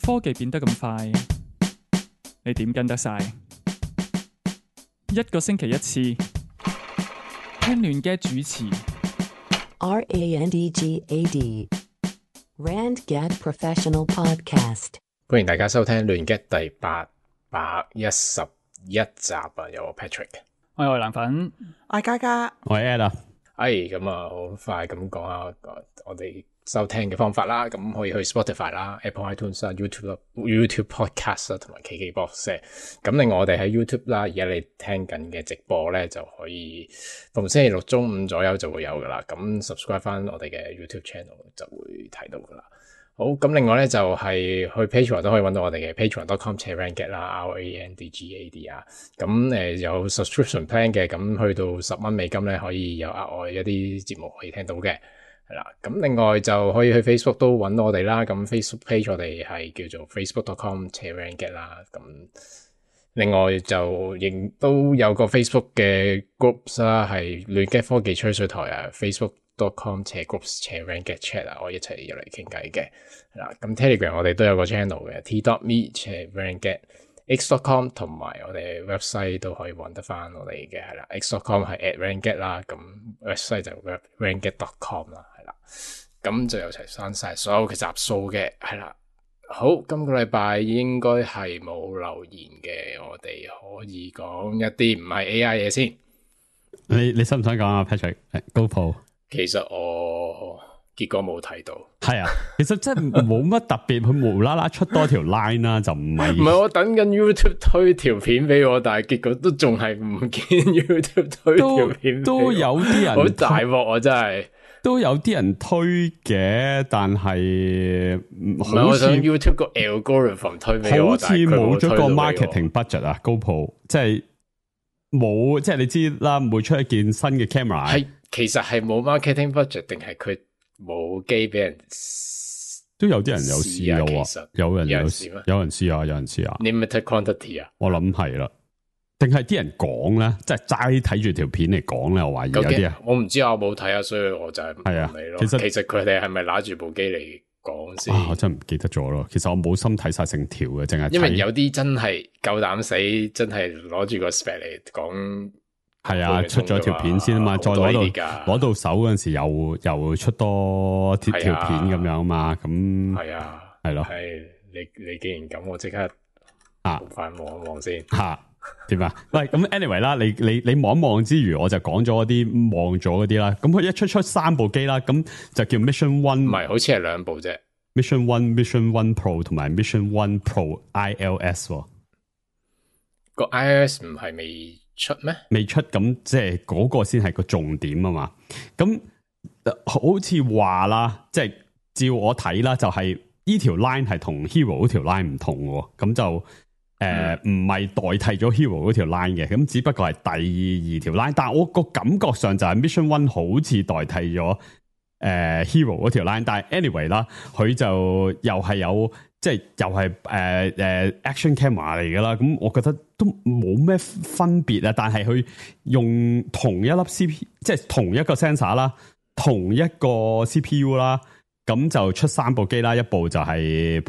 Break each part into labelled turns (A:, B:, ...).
A: 科技變得咁快，你點跟得晒？一個星期一次，聽亂嘅主持。
B: RANDGAD RandGad Professional Podcast。
C: 歡迎大家收聽亂 get 第811集啊！有我 Patrick，
A: 我係藍粉，
D: 我係嘉嘉，
E: 我係 Ed 啊。
C: 咁啊，好快咁講下我哋收聽嘅方法啦。咁可以去 Spotify 啦、Apple iTunes 啦、YouTube Podcast 啦，同埋 KKBox。咁另外我哋喺 YouTube 啦，而家你聽緊嘅直播咧，就可以逢星期六中午左右就會有噶啦。咁 subscribe 翻我哋嘅 YouTube channel 就會睇到噶啦。好，咁另外咧就係去 Patreon 都可以揾到我哋嘅 patreon.com/randgad 啦 RANDGAD 啊。咁有 subscription plan 嘅，咁去到$10美金咧可以有額外一啲節目可以聽到嘅，係啦。咁另外就可以去 Facebook 都揾到我哋啦。咁 Facebook page 我哋係叫做 facebook.com/randgad 啦。咁另外就亦都有個 Facebook 嘅 groups 啦，係亂 get 科技吹水台啊 Facebook.com/groups/randgad chat 啊，我一齊入嚟傾偈嘅。嗱，咁 Telegram 我哋都有個 channel 嘅 t.me/randgad x.com 同埋我哋 website 都可以揾得翻我哋嘅，係啦。x.com 係 @randgad 啦，咁 website 就 randgad.com 啦，係啦。咁就有齊翻晒所有嘅集數嘅，係啦。好，今個禮拜應該係冇留言嘅，我哋可以講一啲唔係 AI 嘢先。
E: 你想唔想講啊 Patrick？ GoPro
C: 其實我結果冇睇到。
E: 係啊，其實真係冇乜特別，佢無啦啦出多條 line 啦，就唔係。
C: 唔係我等緊 YouTube 推條片俾我，但係結果都仲係唔見 YouTube 推條片俾我。
E: 都有啲人
C: 好大鑊啊！真係
E: 都有啲人推嘅，但係
C: 唔係我想 YouTube 個 algorithm 推俾我，
E: 好似冇咗個 marketing budget 啊 GoPro 即係冇，即係你知啦，每出一件新嘅 camera
C: 係其實係冇 marketing budget 定係佢冇機俾人？
E: 都有啲人有試嘅喎，有人試咩？有人試啊，有人試啊
C: limited quantity 啊，
E: 我諗係啦。定係啲人講咧，即係齋睇住條片嚟講咧，我懷疑有啲啊，
C: 我唔知啊，我冇睇啊，所以我就係唔理咯。其實佢哋係咪拿住部機嚟講先？
E: 我真係唔記得咗咯。其實我冇心睇晒成條嘅，淨係
C: 因為有啲真係夠膽死，真係攞住個 spec 嚟講。
E: 係啊，出咗條片先啊嘛，再攞到手嗰陣時又出多條片咁樣啊嘛，咁
C: 係啊，
E: 係咯。
C: 係你既然咁，我即刻快望一望先
E: 吓。點啊？喂，咁 anyway 啦，你望一望之餘，我就講咗啲望咗嗰啲啦。咁佢一出3部機啦，咁就叫 Mission One，
C: 唔係，好似係2部啫。
E: Mission One、Mission One Pro 同埋 Mission One Pro iOS。
C: 個 iOS 唔係未出咩？
E: 未出，咁即係嗰個先係個重點啊嘛。咁好似話啦，即係照我睇啦，就係呢條 line 係同 Hero 嗰條 line 唔同嘅，咁就。唔係代替咗 Hero 嗰條 line 嘅，咁只不過係第2條 line，但係我個感覺上就係 Mission One 好似代替咗Hero 嗰條 line， 但係 anyway 啦，佢就又係有即係又係action camera 嚟噶啦，咁我覺得都冇咩分別啊，但係佢用同一粒 CPU， 即係同一個 sensor 啦，同一個 CPU 啦，咁就出3部機啦，一部就係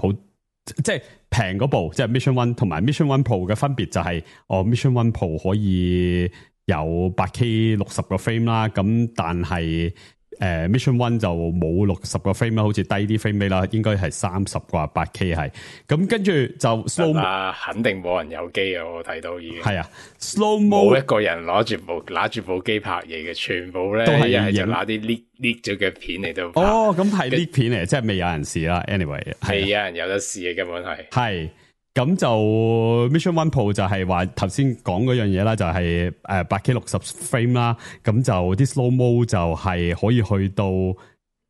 E: 即係平嗰部，即係 Mission One 同埋 Mission One Pro 嘅分別就係Mission One Pro 可以有 8K 60個 frame 啦，咁但係Mission One 就冇60個 frame 啦，好似低啲 frame rate 啦，應該係30個 8K 係，咁跟住就 slow
C: 肯定冇人有機啊！我睇到已經係
E: 啊 slow mo
C: 冇一個人攞住部機拍嘢嘅，全部咧
E: 都係
C: 一係就拿啲 leak 咗嘅片嚟到拍。
E: 咁係 leak 片嚟，即係未有人試啦。anyway
C: 係有人有得試嘅，根本係
E: 咁就 Mission One Pro 就係話頭先講嗰樣嘢啦，就係8K 60 frame 啦，咁就啲 slow mo 就係可以去到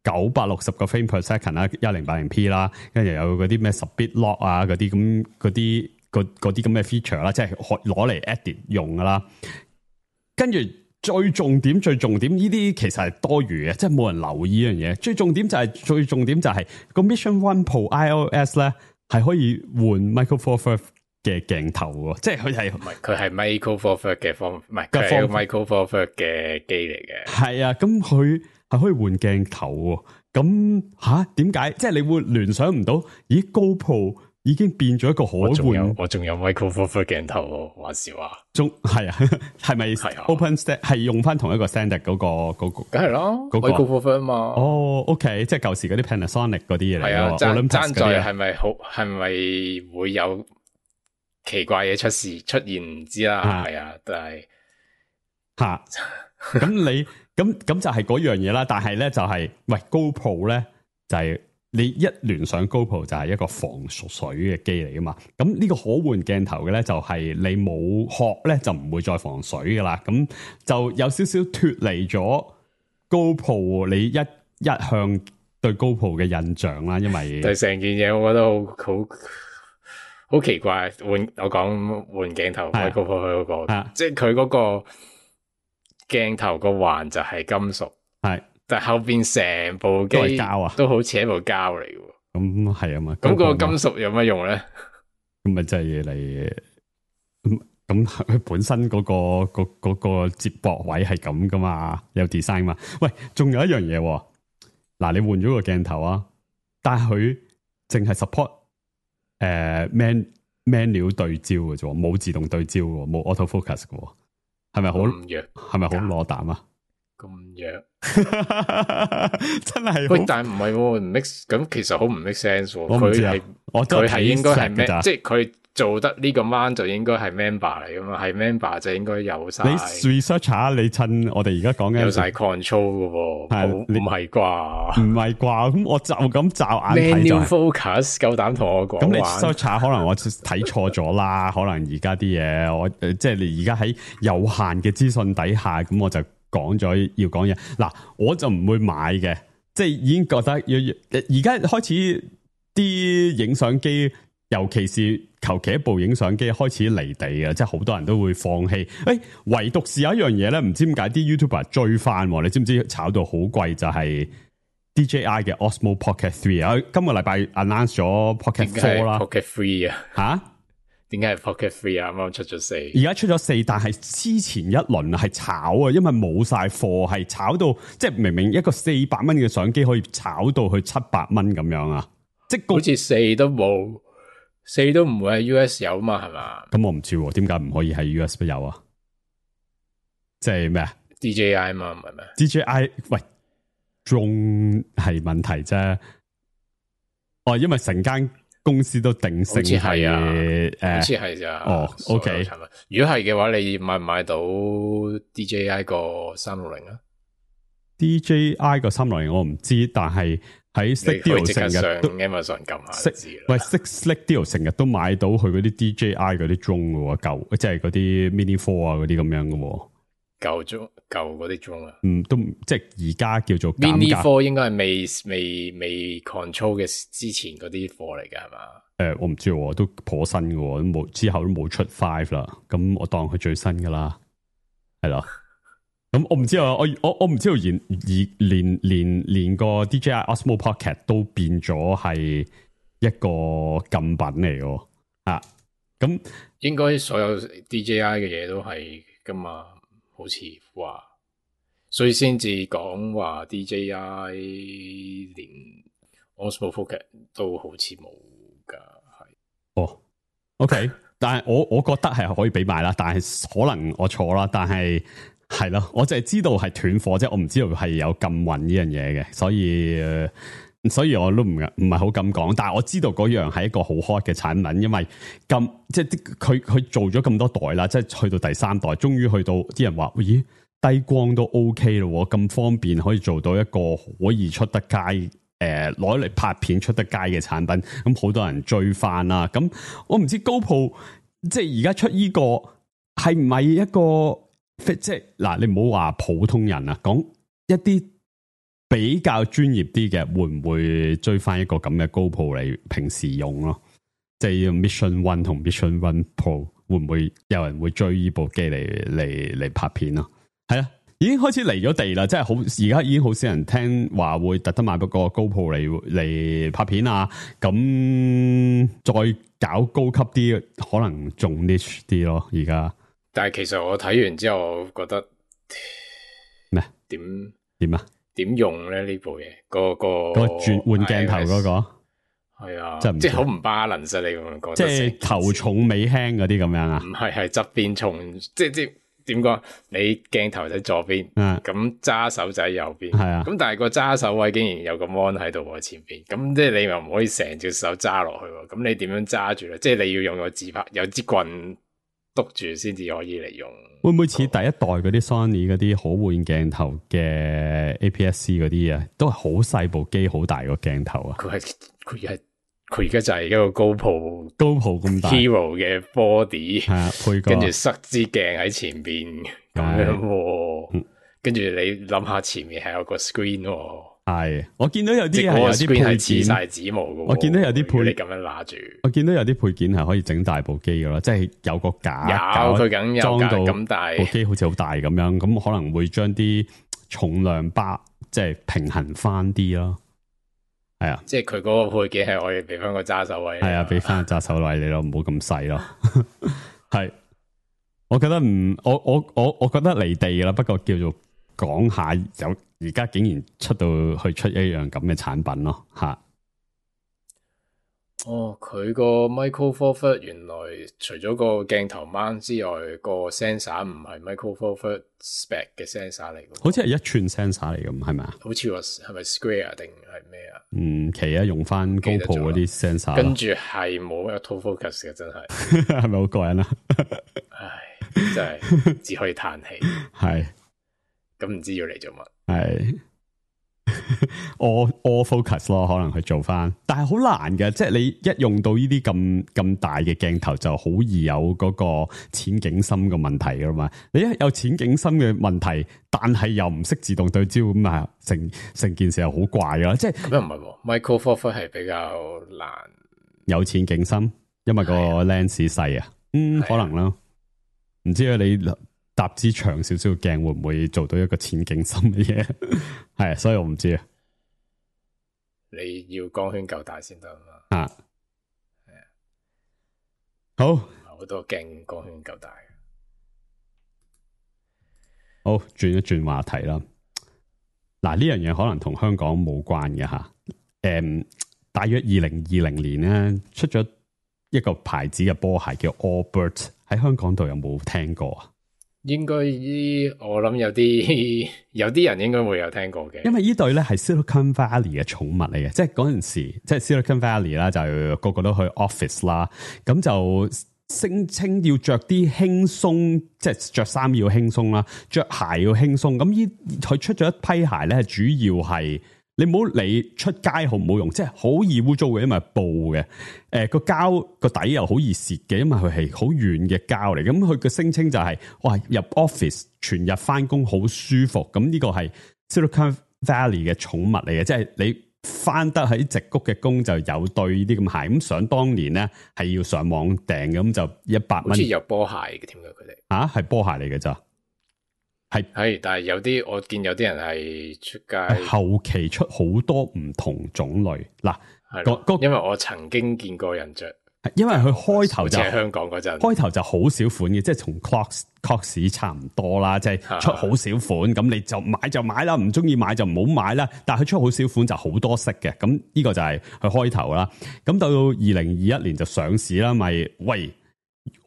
E: 960個 frame per second 啦，1080p 啦，跟住有嗰啲咩10bit lock 啊，嗰啲咁嘅 feature 啦，即係攞嚟 edit 用噶啦。跟住最重點，呢啲其實係多餘嘅，即係冇人留意呢樣嘢。最重點就係個 Mission One Pro iOS 咧。係可以換 Micro Four Thirds 嘅鏡頭喎，即係
C: 佢係 Micro Four Thirds 嘅方，唔係佢係 Micro Four Thirds 嘅機嚟嘅。
E: 係啊，咁佢係可以換鏡頭喎。咁點解？即係你會聯想唔到，咦 GoPro 已經變咗一個可換。
C: 我仲有 Micro Four Third 鏡頭喎，話時話。
E: 係啊，係咪
C: 係啊
E: Open Stand 係用翻同一個 standard 嗰個？
C: 梗係啦，Micro Four Third 嘛。
E: 哦，OK，即係舊時嗰啲 Panasonic 嗰啲嘢嚟。
C: 係啊，爭在係咪會有奇怪嘢出現唔知啦。係啊，但係
E: 咁你咁就係嗰樣嘢啦。但係咧就係喂 GoPro 咧就係。你一聯上 GoPro 就係一個防水嘅機嚟噶嘛，咁呢個可換鏡頭嘅咧就係你冇殼咧就唔會再防水噶啦，咁就有少少脫離咗 GoPro 你一向對 GoPro 嘅印象啦，因為
C: 對成件嘢我覺得好奇怪，我講換鏡頭開 GoPro 嗰個，即係佢嗰個鏡頭個環就係金屬，係。但後邊成部機膠啊，都好似一部膠嚟嘅。咁係啊嘛。咁個金屬有乜用咧？
E: 咁咪即係嚟咁佢本身嗰個接駁位係咁噶嘛，有 design 嘛。喂，仲有一樣嘢，嗱，你換咗個鏡頭啊，但係佢淨係 support manual 對焦嘅啫，冇自動對焦嘅，冇 auto focus 嘅，係咪好弱？係咪好攞膽啊？
C: 咁弱
E: 真係
C: 喂，但係唔係唔 make 咁，其實好唔 make sense。佢係應該係咩？即係佢做得呢個 man 就應該係 member 嚟噶嘛？係 member 就應該有晒。
E: 你 research 下，你趁我哋而家講緊
C: 有晒 control 噶喎，唔係啩？
E: 唔係啩？咁我就咁驟眼睇就
C: manual focus，夠膽同我講。
E: 咁你 search 下，可能我睇錯咗啦。可能而家啲嘢，我即係你而家喺有限嘅資訊底下，咁我就。講咗要講嘢嗱，我就唔會買嘅，即係已經覺得而家開始啲影相機，尤其是求其一部影相機開始離地嘅，即係好多人都會放棄。唯獨是有一樣嘢咧，唔知點解啲 YouTuber 追翻，你知唔知炒到好貴就係 DJI 嘅 Osmo Pocket 3啊？今個禮拜 announce 咗 Pocket 4啦
C: ，Pocket 3啊
E: 吓？
C: 點解係 Pocket 3啊？啱啱出咗4，
E: 而家出咗4，但係之前一輪係炒啊，因為冇晒貨，係炒到即係明明一個400蚊嘅相機可以炒到去700蚊咁樣啊！即係
C: 好似4都冇，4都唔會喺 US 有嘛？係嘛？
E: 咁我唔知點解唔可以喺 US 有啊？即係咩啊
C: ？DJI 嘛，唔係咩
E: ？DJI 喂，仲係問題啫。哦，因為成間公司都定性係
C: 好似係咋？
E: 哦 ，OK。
C: 如果係嘅話，你買唔買到 DJI 個360啊
E: ？DJI 個360我唔知，但係喺 Slick Deal 成日都
C: Amazon 撳下知啦。
E: 喂 ，Slick Deal 成日都買到佢嗰啲 DJI 嗰啲 drone 嘅喎，舊即係嗰啲 Mini 4啊嗰啲咁樣嘅喎。
C: 舊嗰啲 drone 啊，
E: 都即係而家叫做
C: Mini 4應該係未 control 嘅之前嗰啲貨嚟㗎係嘛？
E: 我唔知喎，都頗新嘅，冇之後都冇出5啦，咁我當佢最新㗎啦，係咯。咁我唔知啊，我唔知道連個 DJI Osmo Pocket 都變咗係一個禁品嚟嘅啊！咁
C: 應該所有 DJI 嘅嘢都係㗎嘛？好似話，所以先至講話 DJI 連 Osmo Pocket 都好似冇噶，係。
E: 哦 ，OK， 但係我覺得係可以俾買啦，但係可能我錯啦，但係係咯，我就係知道係斷貨啫，我唔知道係有禁運呢樣嘢嘅，所以我都唔係好敢講，但係我知道嗰樣係一個好 hot 嘅產品，因為即係佢做咗咁多代啦，即係去到第3代，終於去到啲人話，咦，低光都 OK 咯，咁方便可以做到一個可以出得街，攞嚟拍片出得街嘅產品，咁好多人追翻啦。咁我唔知 GoPro 即係而家出呢個係唔係一個即係嗱，你唔好話普通人啊，講一啲比較專業啲嘅，會唔會追翻一個咁嘅 GoPro 嚟平時用咯？即係 Mission One 同 Mission One Pro 會唔會有人會追呢部機嚟拍片咯？係啊，已經開始離咗地啦，即係好而家已經好少人聽話會特登買部個 GoPro 嚟拍片啊！咁再搞高級啲，可能仲 niche 啲咯。而家，但
C: 係其實我睇完之後，我覺得
E: 咩
C: 點啊？點用咧呢部嘢？個轉換鏡頭嗰個係啊，
E: 即係
C: 好唔 balance 你咁樣講，
E: 即係頭重尾輕嗰啲咁樣啊？
C: 唔係側邊重，即點講？你鏡頭喺左邊，咁揸手仔右邊，
E: 係啊。
C: 咁但係個揸手位竟然有個 mon 喺度喎前邊，咁即係你又唔可以成隻手揸落去喎，咁你點樣揸住咧？即係你要用個自拍，有支棍督住先至可以嚟用。
E: 會唔會似第一代嗰啲 Sony 嗰啲可換鏡頭嘅 APS-C 嗰啲啊？都係好細部機，好大個鏡頭啊！
C: 佢而家就係一個GoPro
E: 咁大
C: Hero 嘅 body，
E: 係啊，配個
C: 跟住塞支鏡喺前邊咁樣喎，跟住你諗下前面係有個 screen 喎，
E: 係我見到有啲係有啲配件
C: 黐晒指模嘅，
E: 我見到有啲配
C: 你咁樣拿住，
E: 我見到有啲配件係可以整大部機嘅咯，即係有個架，
C: 佢梗有
E: 裝到
C: 咁大
E: 部機好似好大咁樣，咁可能會將啲重量即係平衡翻啲咯。係啊，
C: 即係佢嗰個配件係可以俾翻個揸手位，
E: 係啊，俾翻個揸手位你咯，唔好咁細咯。係，我覺得我覺得離地啦，不過叫做講下有而家竟然出一樣咁嘅產品咯，吓。
C: 哦，佢個 Micro Four Third 原來除咗個鏡頭 mount 之外，個 sensor 唔係 Micro Four Third spec 嘅 sensor 嚟嘅，
E: 好似係1寸 sensor 嚟嘅，係咪啊？
C: 好似話係咪 square 定係咩啊？
E: 奇啊，用翻 GoPro 嗰啲 sensor，
C: 跟住係冇 auto focus 嘅，真係
E: 係咪好過癮啊？
C: 唉，真係只可以嘆氣。
E: 係，
C: 咁唔知要嚟做乜？
E: 係。all focus 咯，可能去做翻，但係好難嘅，即係你一用到呢啲咁大嘅鏡頭，就好易有嗰個淺景深嘅問題噶嘛。你一有淺景深嘅問題，但係又唔識自動對焦，咁啊成件事又好怪噶。即係
C: 咁又唔係，Micro Four Third 係比較難
E: 有淺景深，因為個 lens 細啊，可能啦，唔知啊你。搭支長少少嘅鏡會唔會做到一個淺景深嘅嘢？係，所以我唔知啊。
C: 你要光圈夠大先得嘛？
E: 啊，係啊，好，
C: 好多鏡光圈夠大。
E: 好，轉一轉話題啦。嗱，呢樣嘢可能同香港冇關嘅吓。大約2020年咧出咗一個牌子嘅波鞋叫 Allbirds， 喺香港度有冇聽過啊？
C: 應該我諗有啲人應該會有聽過嘅，
E: 因為呢對咧係 Silicon Valley 嘅寵物嚟嘅，即係嗰陣時即係 Silicon Valley 啦，就個個都去 office 啦，咁就聲稱要着啲輕鬆，即係着衫要輕鬆啦，着鞋要輕鬆。咁佢出咗一批鞋咧，主要係。你唔好理出街好唔好用，即係好易污糟嘅，因為布嘅，個膠個底又好易蝕嘅，因為佢係好軟嘅膠嚟。咁佢嘅聲稱就係，哇，入 office 全日翻工好舒服。咁呢個係 Silicon Valley 嘅寵物嚟嘅，即係你翻得喺矽谷嘅工就有對呢啲咁鞋。咁想當年咧係要上網訂嘅，咁就100蚊。
C: 好似有波鞋嘅添㗎，佢哋
E: 啊，係波鞋嚟嘅咋？
C: 係，但係有啲我見有啲人係出街
E: 後期出好多唔同種類嗱，
C: 因為我曾經見過人着，
E: 因為佢開頭就
C: 香港嗰陣，
E: 開頭就好少款嘅，即係同 Crocs 差唔多啦，即係出好少款，咁你就買就買啦，唔中意買就唔好買啦。但係佢出好少款就好多色嘅，咁呢個就係佢開頭啦。咁到2021年就上市啦，咪喂，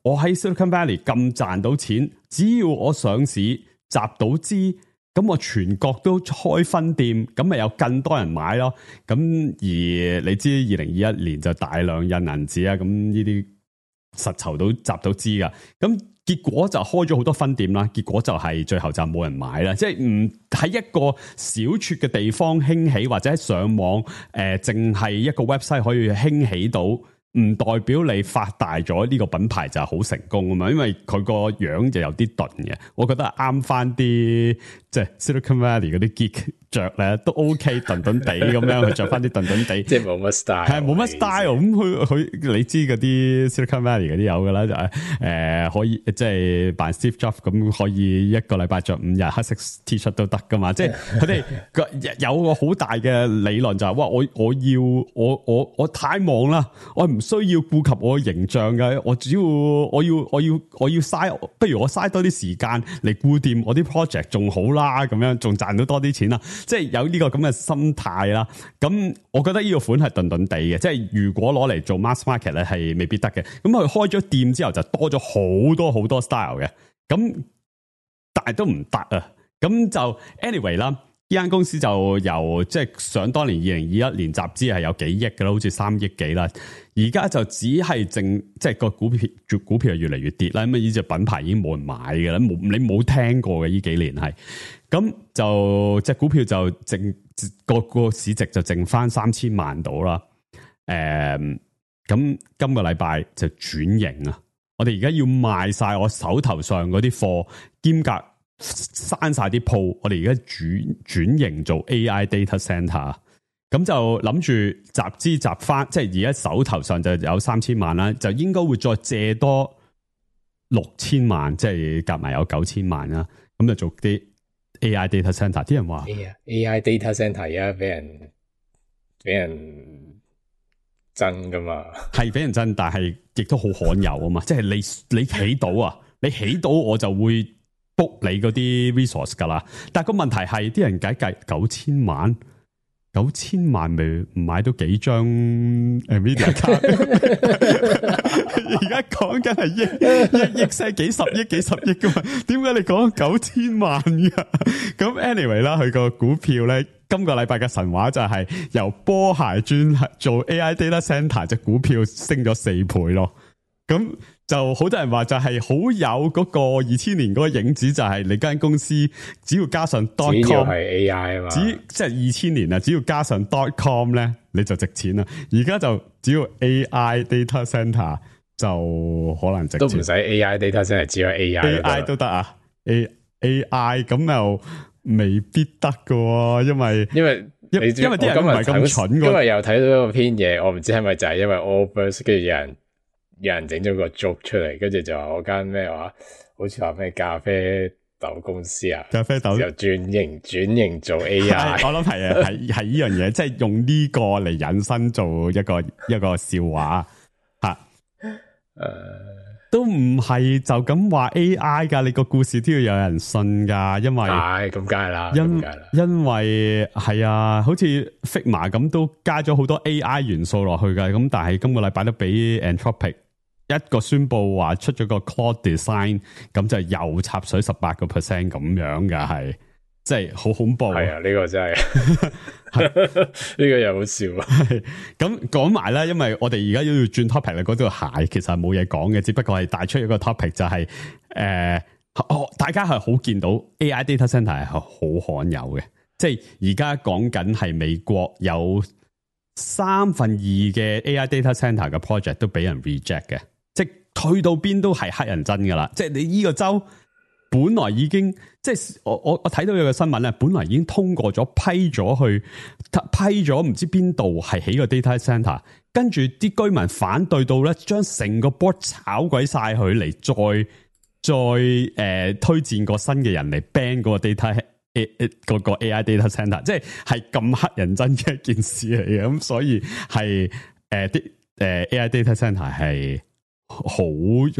E: 我喺 Silicon Valley 咁賺到錢，只要我上市集到資，咁我全國都開分店，咁咪有更多人買咯。咁而你知2021年就大量印銀紙啊，咁呢啲實籌到集到資噶，咁結果就開咗好多分店啦。結果就係最後就冇人買啦，即係唔喺一個小撮嘅地方興起，或者上網淨係一個 website 可以興起到。唔代表你發大咗呢個品牌就係好成功啊嘛，因為佢個樣就有啲鈍嘅，我覺得啱翻啲即係 Silicon Valley 嗰啲 geek 着咧都 OK， 鈍鈍地咁樣去着翻啲鈍鈍地，
C: 即係冇乜 style，
E: 係冇乜 style。咁佢你知嗰啲 Silicon Valley 嗰啲有噶啦，就係可以即係扮 Steve Jobs 咁，可以一個禮拜着5日黑色 T 恤都得噶嘛。即係佢哋有個好大嘅理論就係，哇！我太忙啦，我唔需要顧及我嘅形象嘅，我只要我要嘥，不如我嘥多啲時間嚟顧掂我啲 project 仲好啦，咁樣仲賺到多啲錢啦，即係有呢個咁嘅心態啦。咁我覺得呢個款係頓頓地嘅，即係如果攞嚟做 mass market 咧係未必得嘅。咁佢開咗店之後就多咗好多 style 嘅，咁但係都唔得啊。咁就 anyway 啦。呢間公司就由即係想當年2021年集資係有幾億嘅啦，好似3億幾啦。而家就只係剩即係個股票係越嚟越跌啦。咁呢隻品牌已經冇人買嘅啦，你冇聽過嘅呢幾年係。咁就隻股票就淨個市值就剩翻3000萬到啦。咁今個禮拜就轉型啊！我哋而家要賣晒我手頭上嗰啲貨，兼夾刪晒啲鋪，我哋而家轉型做 AI data center， 咁就諗住集翻，即係而家手頭上就有3000萬啦，就應該會再借多6000萬，即係夾埋有9000萬啦，咁就做啲 AI data center。啲人話
C: AI data center 而家俾人爭噶嘛，係
E: 俾人爭，但係亦都好罕有啊嘛，即係你起到啊，你起到我就會book你嗰啲 resource 噶啦，但係個問題係啲人計9000萬咪唔買到幾張 Nvidia 卡？而家講緊係億聲幾十億噶嘛？點解你講9000萬噶？咁 anyway 啦，佢個股票咧，今個禮拜嘅神話就係由波鞋專做 AI data center 隻股票升咗4倍咯。咁就好多人話就係好有嗰個2000年嗰個影子，就係你間公司只要加上 .com，
C: 只要係 AI 啊嘛，
E: 即係2000年啊，只要加上 .com 咧，你就值錢啦。而家就只要 AI data center 就可能值錢，
C: 都唔使 AI data center， 只有 AI
E: 都得啊。AI 咁又未必得噶，因為啲人唔係咁蠢。
C: 今日又睇到一個篇嘢，我唔知係咪就係因為 Allbirds 跟住有人整咗個 joke 出嚟，跟住就話我間咩話，好似話咩咖啡豆公司啊，咖啡豆又轉型做 AI，
E: 我諗係啊，係呢樣嘢，即係用呢個嚟引申做一個笑話吓。都唔係就咁話 AI 噶，你個故事都要有人信噶，因為
C: 係咁梗係啦，
E: 因為係啊，好似 Figma 咁都加咗好多 AI 元素落去噶，咁但係今個禮拜都俾 Anthropic 一個宣布話出咗個 Claude Design， 咁就又插水18% 咁樣噶，係即係好恐怖。
C: 係啊，呢個真係呢個又好笑啊。
E: 咁講埋啦，因為我哋而家要轉 topic 啦，嗰條鞋其實係冇嘢講嘅，只不過係帶出一個 topic 就係大家係好見到 AI data center 係好罕有嘅，即係而家講緊係美國有2/3嘅 AI data center 嘅 project 都俾人 reject 嘅。即係去到邊都係黑人憎噶啦，即係你呢個州本來已經即係我睇到有個新聞咧，本來已經通過咗批咗唔知邊度係起個 data center， 跟住啲居民反對到咧，將成個 board 炒鬼晒佢嚟，再推薦個新嘅人嚟 ban 嗰個 data 嗰個 AI data center， 即係咁黑人憎嘅一件事嚟嘅，咁所以係AI data center 係好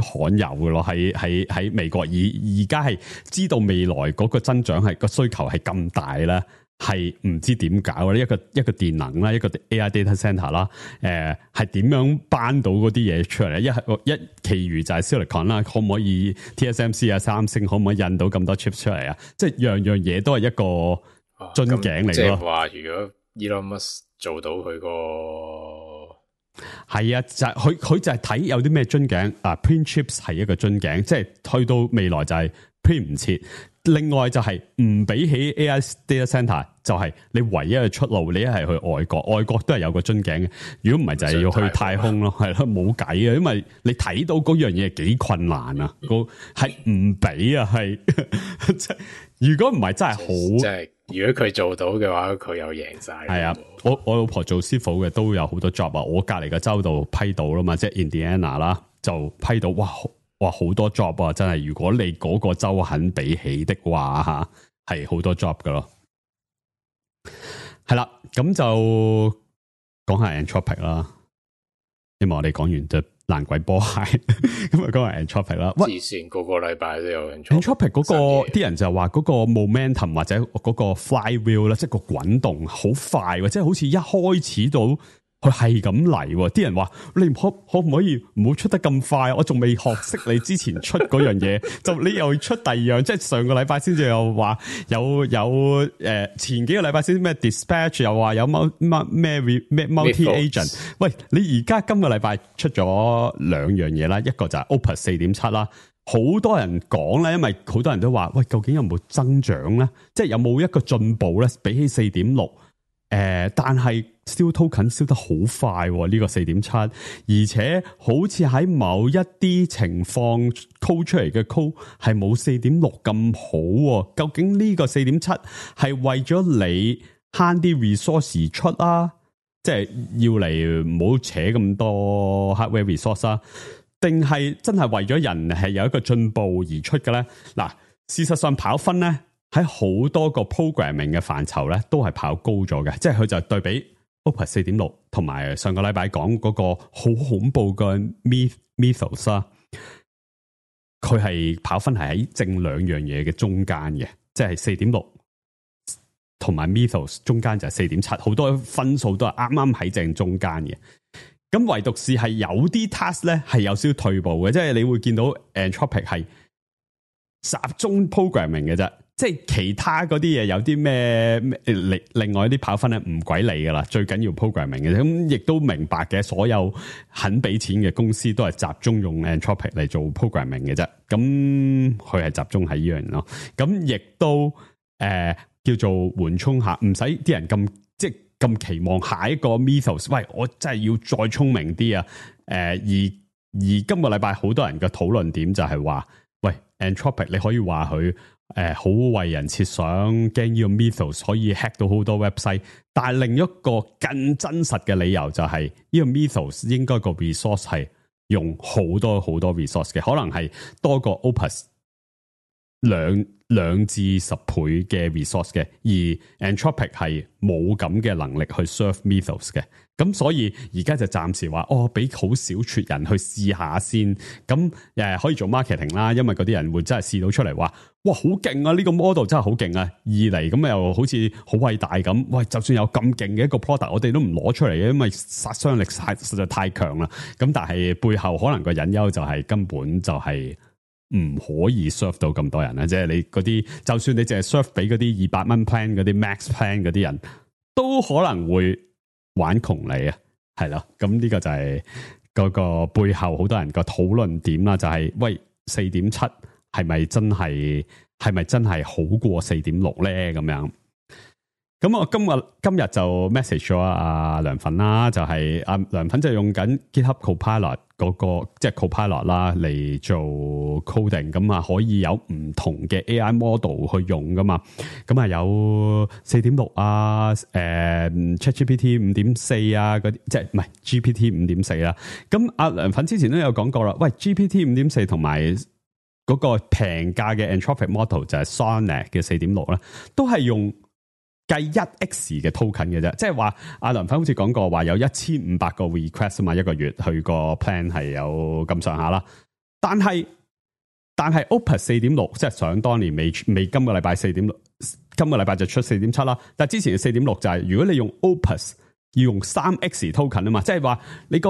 E: 罕有嘅咯，喺美國而家係知道未來嗰個增長係個需求係咁大啦，係唔知點搞咧，一個電能啦，一個 AI data center 啦，係點樣搬到嗰啲嘢出嚟咧？一其餘就係 Silicon 啦，可唔可以 TSMC 啊、三星可唔可以印到咁多 chips 出嚟啊？即係樣樣嘢都係一個樽頸嚟咯。即係
C: 話如果 Elon Musk 做到佢個
E: 係啊，就係佢就係睇有啲咩樽頸啊 ，print chips 係一個樽頸，即係去到未來就係 print 唔切。另外就係唔比起 AI data center， 就係你唯一嘅出路，你一係去外國，外國都係有個樽頸嘅。如果唔係就係要去太空咯，係咯，冇計啊，因為你睇到嗰樣嘢幾困難啊，係唔俾啊，係如果唔係真係好，
C: 即係如果佢做到嘅話，佢又贏晒。
E: 係啊，我老婆做師傅嘅都有好多 job 啊，我隔籬嘅州度批到啦嘛，即係 Indiana 啦，就批到哇好多 job 啊，真係如果你嗰個州肯俾起的話吓，係好多 job 噶咯。係啦，咁就講下 Anthropic 啦，希望我哋講完就爛鬼波鞋，咁啊講係 Anthropic 啦。
C: 之前個個禮拜都有
E: Anthropic 嗰個啲人就話嗰個 momentum 或者嗰個 flywheel 咧，即係個滾動好快，即係好似一開始到佢係咁嚟。啲人話你可唔可以唔好出得咁快？我仲未學識你之前出嗰樣嘢，就你又出第二樣，即係上個禮拜先至又話有前幾個禮拜先咩 dispatch 又話有咩 multi agent。喂，你而家今個禮拜出咗兩樣嘢啦，一個就係 Opus 4.7啦。好多人講咧，因為好多人都話喂，究竟有冇增長咧？即係有冇一個進步咧？比起 4.6，但係燒 token 燒得好快喎，呢個 4.7， 而且好似喺某一啲情況 code 出嚟嘅 code 係冇 4.6 咁好喎。究竟呢個 4.7 係為咗你慳啲 resource 而出啊？即係要嚟唔好扯咁多 hardware resource 啊？定係真係為咗人係有一個進步而出嘅咧？嗱，事實上跑分咧喺好多個 programming 嘅範疇咧都係跑高咗嘅，即係佢就對比 Opus 4.6 同埋上個禮拜講嗰個好恐怖嘅 Mythos 啦，佢係跑分係喺正兩樣嘢嘅中間嘅，即係 4.6 同埋 Mythos 中間就係 4.7， 好多分數都係啱啱喺正中間嘅。咁唯獨是係有啲 task 咧係有少少退步嘅，即係你會見到 Anthropic 係集中 programming 嘅啫，即係其他嗰啲嘢有啲咩另外啲跑分咧唔鬼理噶啦，最緊要 programming 嘅啫。咁亦都明白嘅，所有肯俾錢嘅公司都係集中用 Anthropic 嚟做 programming 嘅啫。咁佢係集中喺呢樣咯。咁亦都叫做緩衝下，唔使啲人咁即係咁期望下一個 Mythos， 喂，我真係要再聰明啲啊！而今個禮拜好多人嘅討論點就係話，喂 Anthropic 你可以話佢好為人設想，驚呢個 Mythos 可以 hack 到好多 website， 但係另一個更真實嘅理由就係呢個 Mythos 應該個 resource 係用好多好多 resource 嘅，可能係多過 Opus 兩至10倍嘅 resource 嘅，而 Anthropic 係冇咁嘅能力去 serve Mythos 嘅，咁所以而家就暫時話俾好少撮人去試下先，咁可以做 marketing 啦，因為嗰啲人會真係試到出嚟話，哇好勁啊！呢個 model 真係好勁啊！二嚟咁又好似好偉大咁，喂，就算有咁勁嘅一個 product，我哋都唔攞出嚟嘅，因為殺傷力實在太強啦。咁但係背後可能個隱憂就係根本就係唔可以 serve 到咁多人啦，即係你嗰啲，就算你淨係 serve 俾嗰啲200蚊 plan 嗰啲 max plan 嗰啲人，都可能會玩窮你啊，係咯。咁呢個就係嗰個背後好多人個討論點啦，就係喂 4.7 係咪真係好過 4.6 咧？咁樣。咁我今日就 message 咗阿梁粉啦，就係阿梁粉就用緊 GitHub Copilot 嗰個即係 Copilot 啦嚟做 coding，咁啊可以有唔同嘅 AI model 去用噶嘛，咁啊有 4.6 啊，ChatGPT 5.4 啊嗰啲，即係唔係 GPT 5.4 啦。咁阿梁粉之前都有講過啦，喂 GPT 5.4 同埋嗰個平價嘅 Anthropic model 就係 Sonnet 嘅 4.6 啦，都係用計 1x 嘅 token 嘅啫，即係話阿梁粉好似講過話有1500個 request 啊嘛，一個月佢個 plan 係有咁上下啦。但係 Opus 4.6 即係想當年未今個禮拜4.6，今個禮拜就出 4.7 啦。但係之前嘅 4.6 就係如果你用 Opus 要用 3x token 啊嘛，即係話你個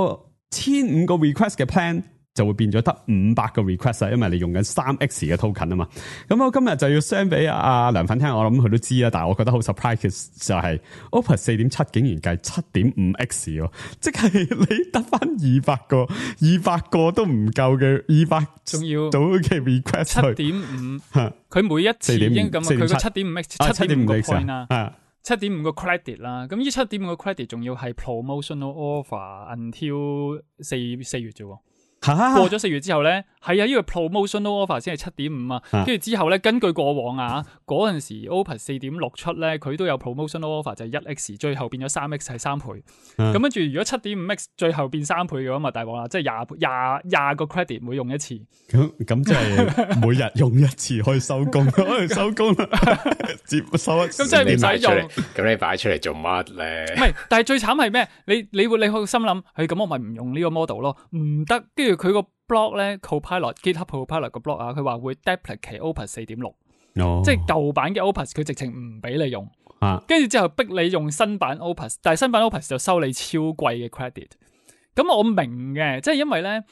E: 1500個 request 嘅 plan。就會變咗得500個 request 啊，因為你用緊 3x 嘅 token 啊嘛。咁我今日就要 send 俾阿梁粉聽，我諗佢都知啦，但係我覺得好 surprise 就係 Opus 4.7 竟然計 7.5x 喎，即係你得翻200個都唔夠嘅200，仲要到嘅 request
A: 7.5，佢每一次已經咁，佢個 7.5x 7.5個 point 啦。7.5個 credit 啦，咁呢7.5個 credit 仲要係 promotional offer until 4月啫喎，過咗4月之後咧，係啊，呢個 promotional offer 先係 7.5 啊，跟住之後咧，根據過往啊，嗰陣時 Opus 4.6出咧，佢都有 promotional offer 就係 1x， 最後變咗 3x 係3倍。咁跟住如果 7.5x 最後變3倍嘅話，咪大鑊啦，即係廿個 credit 每用一次。
E: 咁即係每日用一次可以收工，可以收工啦，接收。咁
A: 即係唔使用。
C: 咁你擺出嚟做乜咧？
A: 唔係，但係最慘係咩？你會心諗，咁我咪唔用呢個 model 咯，唔得。跟住佢個 blog 咧 ，Copilot GitHub Copilot 個 blog 啊，佢話會 deprecate Opus 4.6，即係舊版嘅 Opus 佢直情唔俾你用，跟住之後逼你用新版 Opus， 但係新版 Opus 就收你超貴嘅 credit。咁我明嘅，即係因為咧，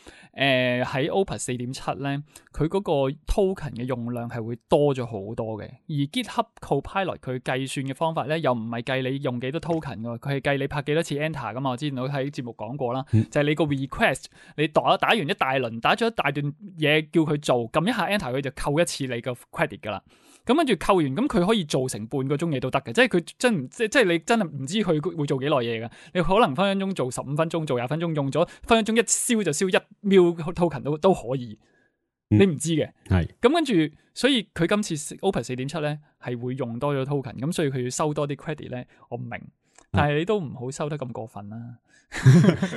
A: 喺 Opus 4.7咧，佢嗰個 token 嘅用量係會多咗好多嘅，而 GitHub Copilot 佢計算嘅方法咧，又唔係計你用幾多 token 噶，佢係計你拍幾多次 enter 噶嘛。我之前都喺節目講過啦，就係你個 request， 你打完一大輪，打咗一大段嘢叫佢做，撳一下 enter 佢就扣一次你個 credit 噶啦。咁跟住扣完，咁佢可以做成半個鐘嘢都得嘅，即係佢即係你真係唔知佢會做幾耐嘢嘅，你可能分鐘做15分鐘，做20分鐘，用咗分鐘一燒就燒1 mil token 都可以，你唔知嘅。係咁跟住，所以佢今次 Opus 4.7咧係會用多咗 token， 咁所以佢要收多啲 credit 咧，我唔明，但係你都唔好收得咁過分啦。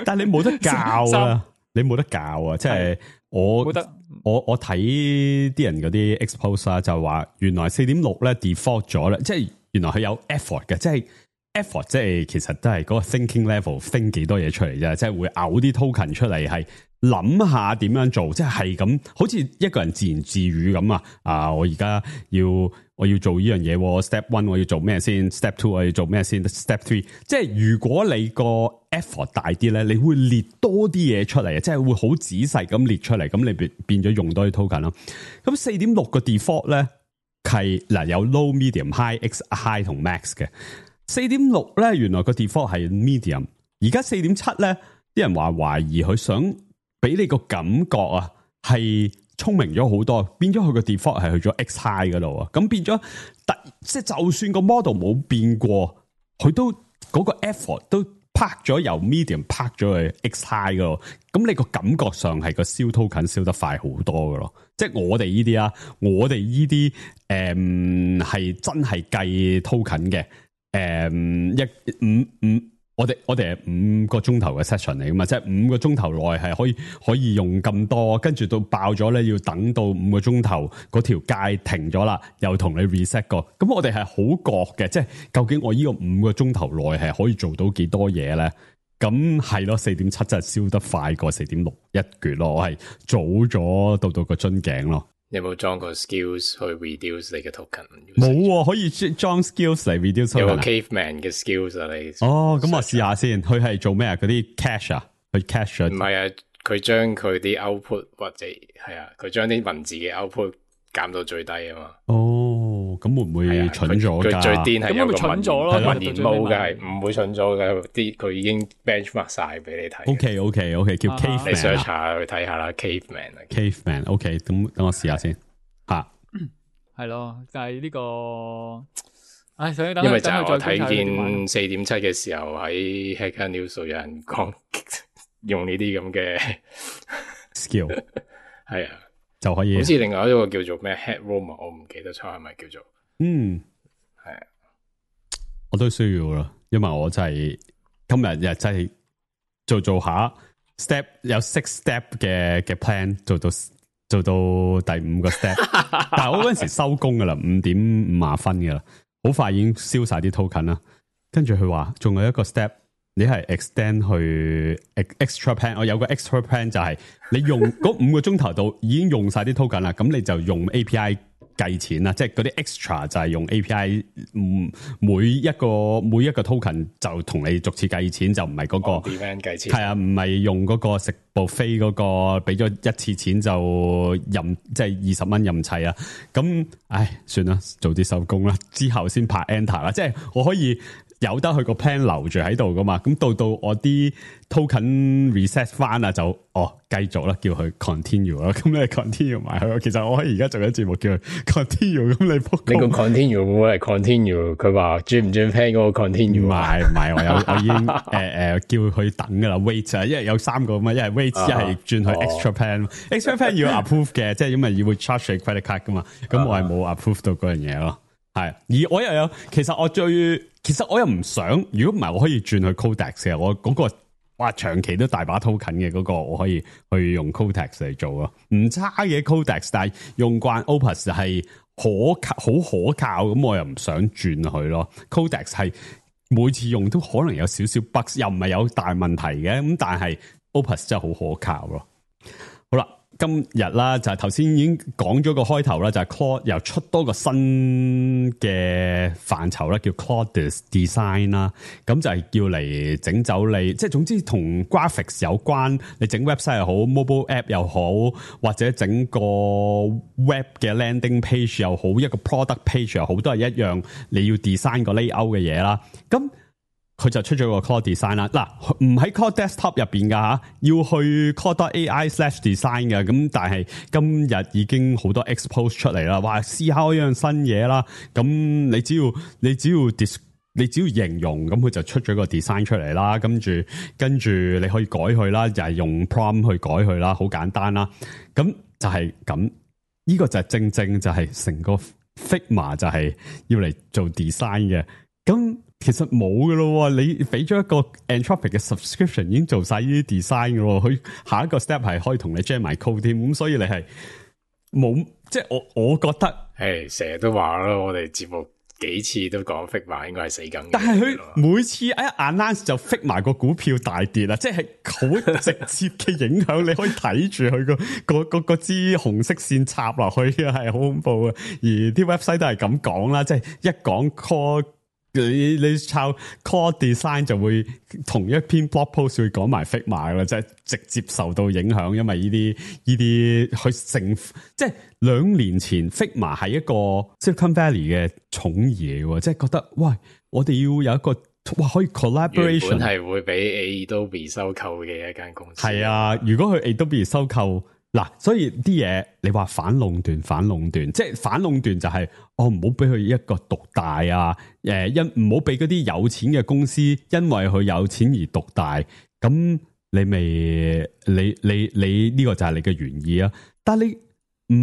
E: 但係你冇得教啊！你冇得教啊！即係我睇啲人嗰啲 expose 啊，就話原來 4.6 咧 default 咗咧，即係原來佢有 effort 嘅，即係 effort 即係其實都係嗰個 thinking level think 幾多嘢出嚟啫，即係會嘔啲 token 出嚟，係諗下點樣做，即係咁好似一個人自言自語咁啊！我而家我要做呢樣嘢，step 1我要做咩先 ，step 2我要做咩先 ，step 3即係如果你個 effort 大啲咧，你會列多啲嘢出嚟，即係會好仔細咁列出嚟，咁你變咗用多啲 token 咯。咁 4.6 個 default 咧係嗱有 low、medium、high 同 max 嘅。4.6 咧原來個 default 係 medium， 而家 4.7 咧啲人話懷疑佢想俾你個感覺啊係聰明咗好多，變咗佢個 default 係去咗 X high 嗰度啊，咁變咗即係就算個 model 冇變過，佢都嗰個 effort 都拍咗由 medium 拍咗去 X high 嗰度，咁你個感覺上係個燒 token 燒得快好多噶咯，即係我哋呢啲啊，我哋呢啲係真係計 token 嘅，我哋係5個鐘頭嘅 session 嚟噶嘛，即係5個鐘頭內係可以用咁多，跟住到爆咗咧，要等到5個鐘頭嗰條界停咗啦，又同你 reset 過。咁我哋係好覺嘅，即係究竟我呢個5個鐘頭內係可以做到幾多嘢咧？咁係咯，4.7真係燒得快過4.6一橛咯，我係早咗到個樽頸咯。
C: 你有冇裝個 skills 去 reduce 你嘅 token？
E: 冇啊，可以裝 skills 嚟 reduce。
C: 有個 caveman 嘅 skills 啊，你
E: 哦，咁我試下先。佢係做咩啊？嗰啲 cache 啊，佢 cache
C: 唔係啊，佢將佢啲 output 或者係啊，佢將啲文字嘅 output 減到最低啊嘛。
E: 哦，咁會唔會蠢咗㗎？
C: 佢最癲係有個文言模嘅，係唔會蠢咗嘅。啲佢已經 benchmark 晒俾你睇。
E: OK，叫 caveman。
C: 你 search 下去睇下啦 ，caveman。
E: OK，咁等我試下先嚇。
A: 係咯，但係呢個，
C: 因為就係我睇見4.7嘅時候喺 Hacker News 有人講用呢啲咁嘅
E: skill，
C: 係啊。
E: 就可以，
C: 好似另外一個叫做咩 Headroom， 我唔記得錯係咪叫做？係啊，
E: 我都需要啦，因為我真係今日真係做下 step 有6 step 嘅 plan， 做到第5個 step， 但係我嗰陣時收工噶啦，5:50噶啦，好快已經燒晒啲 token 啦。跟住佢話仲有一個 step。你係 extend 去 extra plan， 我有個 extra plan 就係你用嗰5個鐘頭度已經用晒啲 token 啦，咁你就用 API 計錢啦，即係嗰啲 extra 就係用 API， 每一個 token 就同你逐次計錢，就唔係嗰個
C: 計錢，
E: 係啊，唔係用嗰個食 buffet 嗰個俾咗一次錢就任即係20蚊任砌啊，咁唉算啦，早啲收工啦，之後先拍 enter 啦，即係我可以。由得佢個 plan 留住喺度噶嘛。咁到我啲 token reset 翻啊，就繼續啦，叫佢 continue 啦。咁你 continue 埋佢。其實我可以而家做緊節目叫佢 continue。咁你
C: 個 continue 會唔會係 continue？ 佢話轉唔轉 plan 嗰個 continue？
E: 唔係，我已經叫佢等噶啦 ，wait 啊，因為有3個嘛，一係 wait，一係轉去 extra plan。extra plan 要 approve 嘅，即係因為要會 charge 你 credit card 噶嘛。咁我係冇 approve 到嗰樣嘢咯。係，而我又有，其實我又唔想，如果唔係我可以轉去 Codex 嘅，我嗰個哇長期都大把 token 嘅嗰個，我可以去用 Codex 嚟做咯，唔差嘅 Codex， 但係用慣 Opus 係好可靠，咁我又唔想轉去咯。Codex 係每次用都可能有少少 bug， 又唔係有大問題嘅，咁但係 Opus 真係好可靠咯。好啦。今日啦，就係頭先已經講咗個開頭啦，就係 Claude 又出多個新嘅範疇啦，叫 Claude Design 啦。咁就係叫嚟整走你，即係總之同 graphics 有關，你整 website 又好 ，mobile app 又好，或者整個 web 嘅 landing page 又好，一個 product page 又好，都係一樣，你要 design 個 layout 嘅嘢啦。咁佢就出咗個 Claude Design 啦，嗱唔喺 Claude Desktop 入邊噶吓，要去 Claude.ai/design 嘅，咁但係今日已經好多 expose 出嚟啦，話試下一樣新嘢啦，咁你只要形容，咁佢就出咗個 design 出嚟啦，跟住你可以改佢啦，就係用 prompt 去改佢啦，好簡單啦，咁就係咁，呢個就係正就係成個 Figma 就係要嚟做 design 嘅，咁。其實冇噶咯，你俾咗一個 Anthropic 嘅 subscription 已經做晒呢啲 design 噶咯，佢下一個 step 係可以同你 jam 埋 code 添，咁所以你係冇，即係我覺得，
C: 成日都話咯，我哋節目幾次都講 Figma 應該係死梗，
E: 但係佢每次一 announce 就 fix 埋個股票大跌啦，即係好直接嘅影響，你可以睇住佢個支紅色線插落去嘅，係好恐怖嘅，而啲 website 都係咁講啦，即係一講 call。你抄 Claude Design 就會同一篇 blog post 會講埋 Figma 啦，即係直接受到影響，因為呢啲去成即係2年前 Figma 係一個 Silicon Valley 嘅寵兒嚟喎，即係覺得喂，我哋要有一個可以 collaboration，
C: 原本係會俾 Adobe 收購嘅一間公司。
E: 係啊，如果佢 Adobe 收購。嗱，所以啲嘢你話反壟斷，即係反壟斷就係唔好俾佢一個獨大啊，唔好俾嗰啲有錢嘅公司因為佢有錢而獨大，咁你呢個就係你嘅原意啊。但係你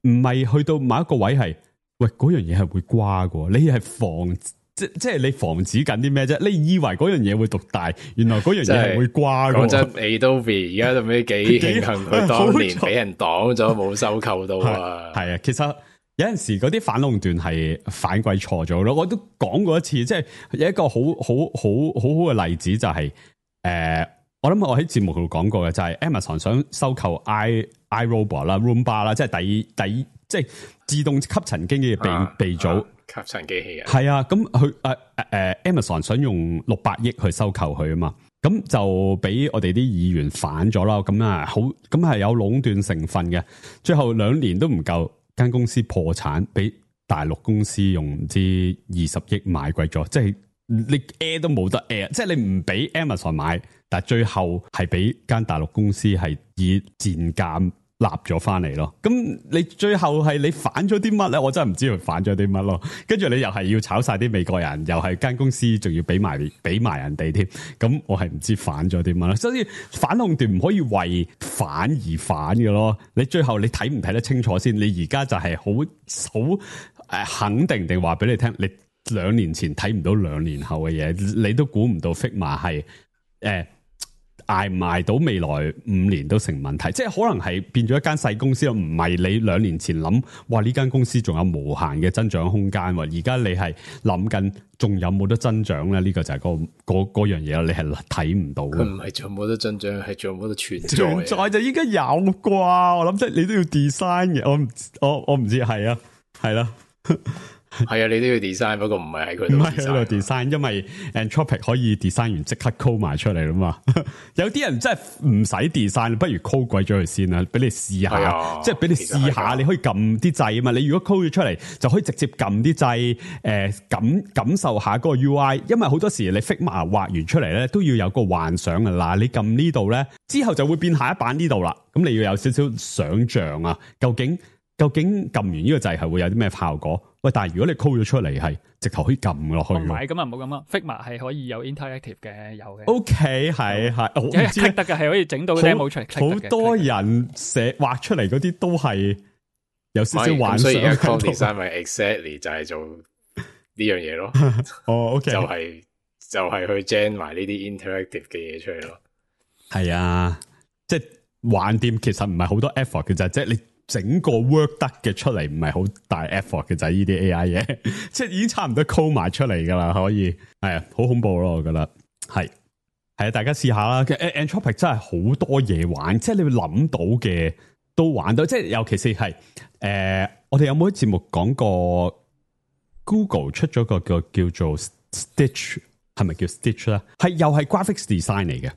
E: 唔係去到某一個位係，喂嗰樣嘢係會瓜嘅，你係即係你防止緊啲咩啫？你以為嗰樣嘢會獨大，原來嗰樣嘢係會瓜嘅。
C: 講真 ，Adobe 而家做咩幾慶幸佢當年俾人擋咗，冇收購到啊？係
E: 啊，其實有陣時嗰啲反壟斷係反鬼錯咗咯。我都講過一次，即係有一個好嘅例子就係我諗我喺節目度講過嘅，就係 Amazon 想收購 iRobot 啦、Roomba 啦，即係第即係自動吸塵機嘅鼻祖。
C: 吸塵機器人
E: 係啊，咁佢Amazon 想用600億去收購佢啊嘛，咁就俾我哋啲議員反咗啦，咁啊好，咁係有壟斷成分嘅，最後2年都唔夠，間公司破產，俾大陸公司用唔知20億買貴咗，即係你 air 都冇得 air，即係你唔俾 Amazon 買，但係最後係俾間大陸公司係以賤價立咗翻嚟咯，咁你最後係你反咗啲乜咧？我真係唔知佢反咗啲乜咯。跟住你又係要炒晒啲美國人，又係間公司仲要俾埋人哋添，咁我係唔知反咗啲乜咯。所以反壟斷唔可以為反而反嘅咯。你最後你睇唔睇得清楚先？你而家就係好肯定地話俾你聽，你2年前睇唔到2年後嘅嘢，你都估唔到 Figma 係捱唔捱到未來5年都成問題，即係可能係變咗一間細公司，唔係你2年前諗，哇呢間公司仲有無限嘅增長空間，而家你係諗緊仲有冇得增長咧？呢個就係嗰樣嘢，你係睇唔到。
C: 佢唔係仲冇得增長，係仲冇得存在。
E: 存在就應該有啩，我諗即係你都要 design 嘅，我唔知係啊，係啦。
C: 係啊，你都要 design， 不過唔係喺佢度 design。唔係喺度
E: design， 因為 Anthropic 可以 design 完即刻 code 埋出嚟啦嘛。有啲人真係唔使 design， 不如 code 鬼咗佢先啦，俾你試下，即係俾你試下，你可以撳啲掣啊嘛。你如果 code 咗出嚟，就可以直接撳啲掣，感受下嗰個 UI。因為好多時你 Figma 畫完出嚟咧，都要有個幻想噶啦。你撳呢度咧，之後就會變下一版呢度啦。咁你要有少少想像啊，究竟撳完呢個掣係會有啲咩效果？喂，但係如果你 call 咗出嚟係直頭可以撳落去，
A: 唔係咁啊，唔好咁啊 Figma 係可以有 interactive 嘅，有嘅。
E: OK， 係，我唔知
A: 得嘅係可以整到 demo 出嚟。
E: 好多人畫出嚟嗰啲都係有少少幻想。
C: 所以而家 code design 咪 exactly 就係做呢樣嘢咯。
E: 哦，OK，
C: 就係去 gen 埋呢啲 interactive 嘅嘢出嚟咯。
E: 係啊，即係橫掂，其實唔係好多 effort 嘅啫，即係你。整個 work 得嘅出嚟唔係好大 effort 嘅就係呢啲 AI 嘢，即係已經差唔多 call 埋出嚟噶啦，可以係啊，好恐怖咯，我覺得係啊，大家試下啦。Anthropic 真係好多嘢玩，即係你會諗到嘅都玩到，即係尤其是係我哋有冇喺節目講過 Google 出咗個叫做 Stitch， 係咪叫 Stitch 咧？係又係 graphics design 嚟嘅，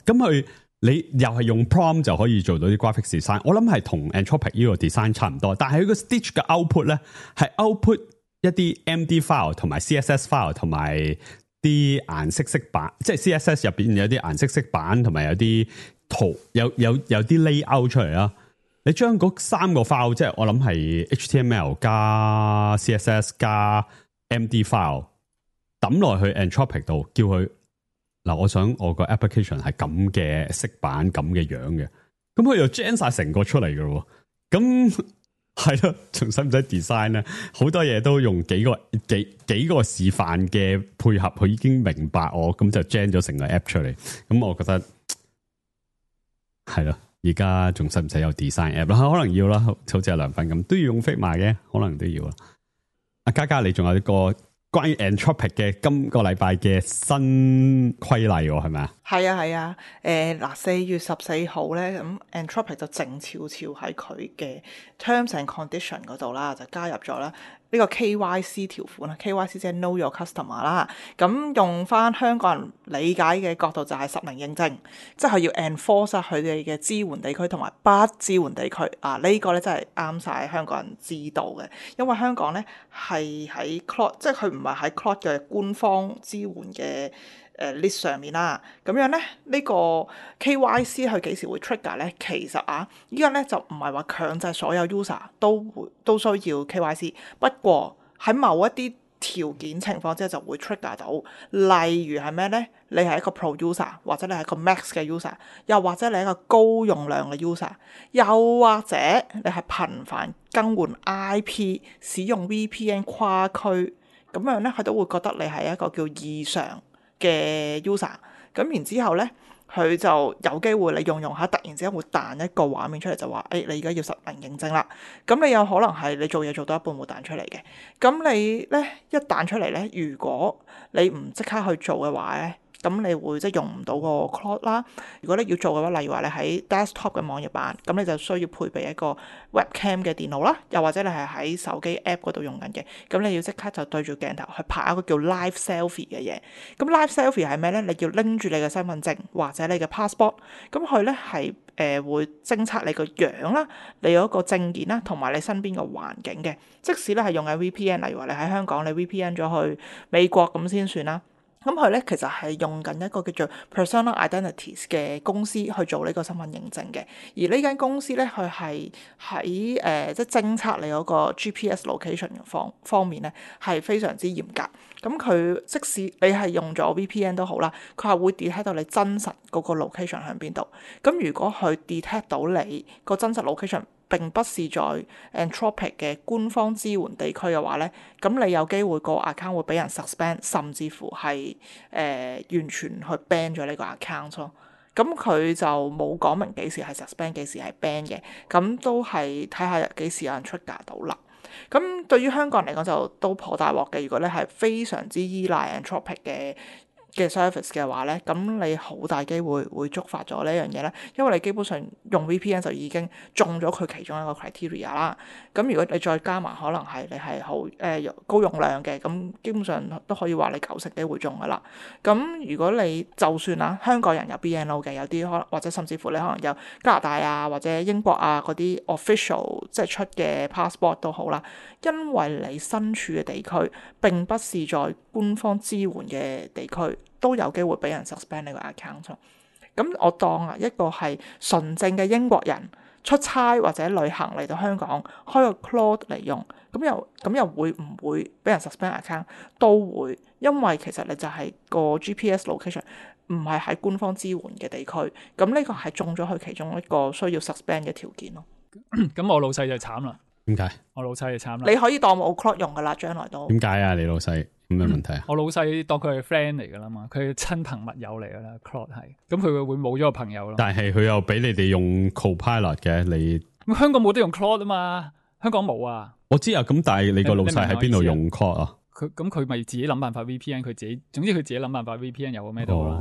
E: 咁佢。你又係用 prompt 就可以做到啲 graphics design， 我諗係同 Anthropic 呢個 design 差唔多，但係佢個 Stitch 嘅 output 咧係 output 一啲 MD file 同埋 CSS file 同埋啲顏色色板，即係 CSS 入邊有啲顏色色板同埋有啲圖，有啲 layout 出嚟啦。你將嗰三個 file， 即係我諗係 HTML 加 CSS 加 MD file 抌落去 Anthropic 度，叫佢。嗱，我想我個 application 係咁嘅色板咁嘅樣嘅，咁佢就 gen 晒成個出嚟嘅咯。咁係咯，仲使唔使 design 咧？好多嘢都用幾個示範嘅配合，佢已經明白我，咁就 gen 咗成個 app 出嚟。咁我覺得係咯，而家仲使唔使有 design app 啦？可能要啦，好似阿梁粉咁都要用 Figma 嘅，可能都要啦。阿嘉嘉，你仲有一個關於 Anthropic 嘅今個禮拜嘅新規例喎，係咪啊？
D: 係啊，嗱，4月14號咧，咁 Anthropic 就靜悄悄喺佢嘅 Terms and Condition 嗰度啦，就加入咗啦呢個 KYC 條款啦。KYC 即係 Know Your Customer 啦。咁用翻香港人理解嘅角度就係實名認證，即係要 enforce 佢哋嘅支援地區同埋不支援地區啊。呢個咧真係啱晒香港人知道嘅，因為香港咧係喺 Claude， 即係佢唔係喺 Claude 嘅官方支援嘅list 上面啦。咁樣咧呢個 KYC 佢幾時會 trigger 咧？其實依家咧就唔係話強制所有 user 都需要 KYC， 不過喺某一啲條件情況之下就會 trigger 到。例如係咩咧？你係一個 pro user， 或者你係一個 max 嘅 user， 又或者你係一個高用量嘅 user， 又或者你係頻繁更換 IP 使用 VPN 跨區，咁樣咧佢都會覺得你係一個叫異常嘅 user。咁然之後咧佢就有機會你用下突然之間會彈一個畫面出嚟，就話你而家要實名認證啦。咁你有可能係你做嘢做到一半會彈出嚟嘅。咁你咧一彈出嚟咧，如果你唔即刻去做嘅話咧，咁你會即係用唔到個 Claude 啦。如果你要做嘅話，例如話你喺 desktop 嘅網頁版，咁你就需要配備一個 webcam 嘅電腦啦，又或者你係喺手機 app 嗰度用緊嘅，咁你要即刻就對住鏡頭去拍一個叫 live selfie 嘅嘢。咁 live selfie 係咩咧？你要拎住你嘅身份證或者你嘅 passport， 咁佢咧係會偵測你個樣啦，你有一個證件啦，同埋你身邊嘅環境嘅。即使咧係用緊 VPN， 例如話你喺香港你 VPN 咗去美國咁先算啦。咁佢咧其實係用緊一個叫做 Personal Identities 嘅公司去做呢個身份認證嘅，而呢間公司咧佢係喺即係偵測你嗰個 GPS location 方面咧係非常之嚴格。咁佢即使你係用咗 VPN 都好啦，佢係會 detect 到你真實嗰個 location 喺邊度。咁如果佢 detect 到你個真實 location並不是在 Anthropic 嘅官方支援地區嘅話咧，咁你有機會個 account 會俾人 suspend， 甚至乎係完全去 ban 咗呢個 account 咯。咁佢就冇講明幾時係 suspend， 幾時係 ban 嘅，咁都係睇下幾時有人 trigger 到啦。咁對於香港人嚟講就都頗大鑊嘅。如果你係非常之依賴 Anthropic 嘅嘅 service 嘅話咧，咁你好大機會會觸發咗呢樣嘢咧，因為你基本上用 VPN 就已經中咗佢其中一個 criteria 啦。咁如果你再加埋可能係你係好高用量嘅，咁基本上都可以話你90%機會中噶啦。咁如果你就算香港人有 BNO 嘅，有啲可能或者甚至乎你可能有加拿大啊或者英國啊嗰啲 official 即係出嘅 passport 都好啦，因為你身處嘅地區並不是在官方支援嘅地區，都有機會俾人 suspend 呢個 account。咁我當一個係純正嘅英國人出差或者旅行嚟到香港開個 Claude 嚟用，咁又會唔會俾人 suspend account？都會，因為其實你就係個 GPS location 唔係喺官方支援嘅地區，咁呢個係中咗佢其中一個需要 suspend 嘅條件咯。
A: 咁我老細就慘啦。
E: 點解？
A: 我老細就慘啦。
D: 你可以當冇 Claude 用噶啦，將來都。
E: 點解啊？你老細有咩問題啊？
A: 我老細當佢係 friend 嚟噶啦嘛，佢係親朋密友嚟噶啦 Claude 係，咁佢會冇咗個朋友咯。
E: 但係佢又俾你哋用 Copilot 嘅，你
A: 咁香港冇得用 Claude 啊嘛，香港冇啊。
E: 我知啊，咁但係你個老細喺邊度用 Claude 啊？
A: 佢咪自己諗辦法 VPN， 佢自己總之佢自己諗辦法 VPN 有個咩都好啦。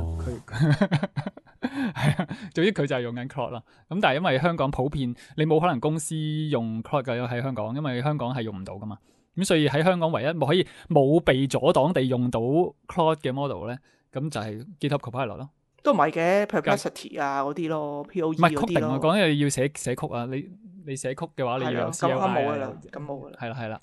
A: 係啊，總之佢就係用緊 Claude 啦。咁但係因為香港普遍你冇可能公司用 Claude 嘅喺香港，因為香港係用唔到噶嘛。咁所以喺香港唯一可以冇被阻擋地用到 Claude 嘅 model 咧，咁就係 GitHub Copilot 咯。
D: 都唔係嘅 Perplexity 啊嗰啲咯 ，POE 嗰啲咯。
A: 唔係 coding 我講嘅要寫曲啊，你寫曲嘅話你要有 CLI
D: 咁冇噶啦，咁冇噶啦。
A: 係啦。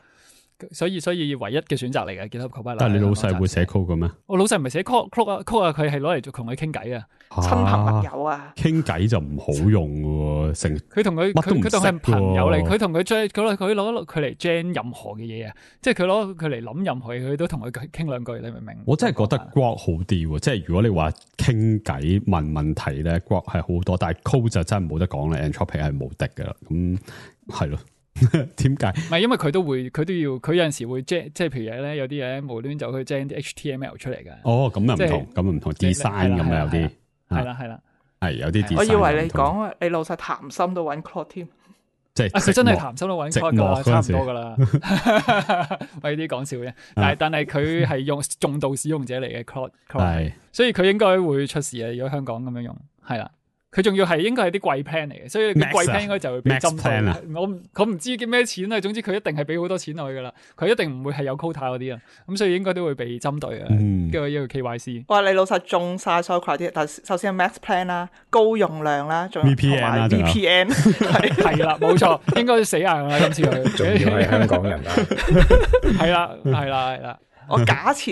A: 所以唯一嘅選擇嚟嘅 GitHub Copilot。
E: 但係你老細會寫 code 嘅咩？
A: 我老細唔係寫 code 啊，佢係攞嚟同佢傾偈啊，
D: 親朋密友啊，
E: 傾偈就唔好用嘅喎，
A: 佢同佢係朋友嚟，佢同佢攞佢嚟 gen 任何嘅嘢啊，即係佢攞佢嚟諗任何嘢，佢都同佢傾兩句，你明唔明？
E: 我真係覺得 Grok 好啲喎，即係如果你話傾偈問問題咧 ，Grok 係好多，但係 code 就真係冇得講啦 ，Anthropic 係無敵嘅啦，咁係咯。點解？唔
A: 係因為佢都要，佢有陣時會 gen， 即係譬如咧有啲嘢無端就去 gen 啲 HTML 出嚟嘅。
E: 哦，咁又唔同，咁唔同 design 咁啊，有啲
A: 係啦，
E: 係有啲 design。
D: 我以為你講你老細談心都揾 Claude 添，
E: 即係
A: 佢真係談心都揾 Claude 噶，差唔多噶啦。喂，啲講笑啫，但係佢係用重度使用者嚟嘅 Claude，所以佢應該會出事啊！如果香港咁樣用，係啦。佢仲要係應該係啲貴 plan 嚟嘅，所以啲貴 plan 應該就會俾針對。我唔知叫咩錢啊，總之佢一定係俾好多錢落去噶啦，佢一定唔會係有 quota 嗰啲啊，咁所以應該都會被針對啊。一個 KYC。哇！
D: 你老實中晒所有 criteria，但係首先係 max plan 啦，高用量啦，仲有 VPN
A: 係啦，冇錯，應該死硬啦今次佢。
C: 仲要係香港人啊。
A: 係啦。
D: 我假設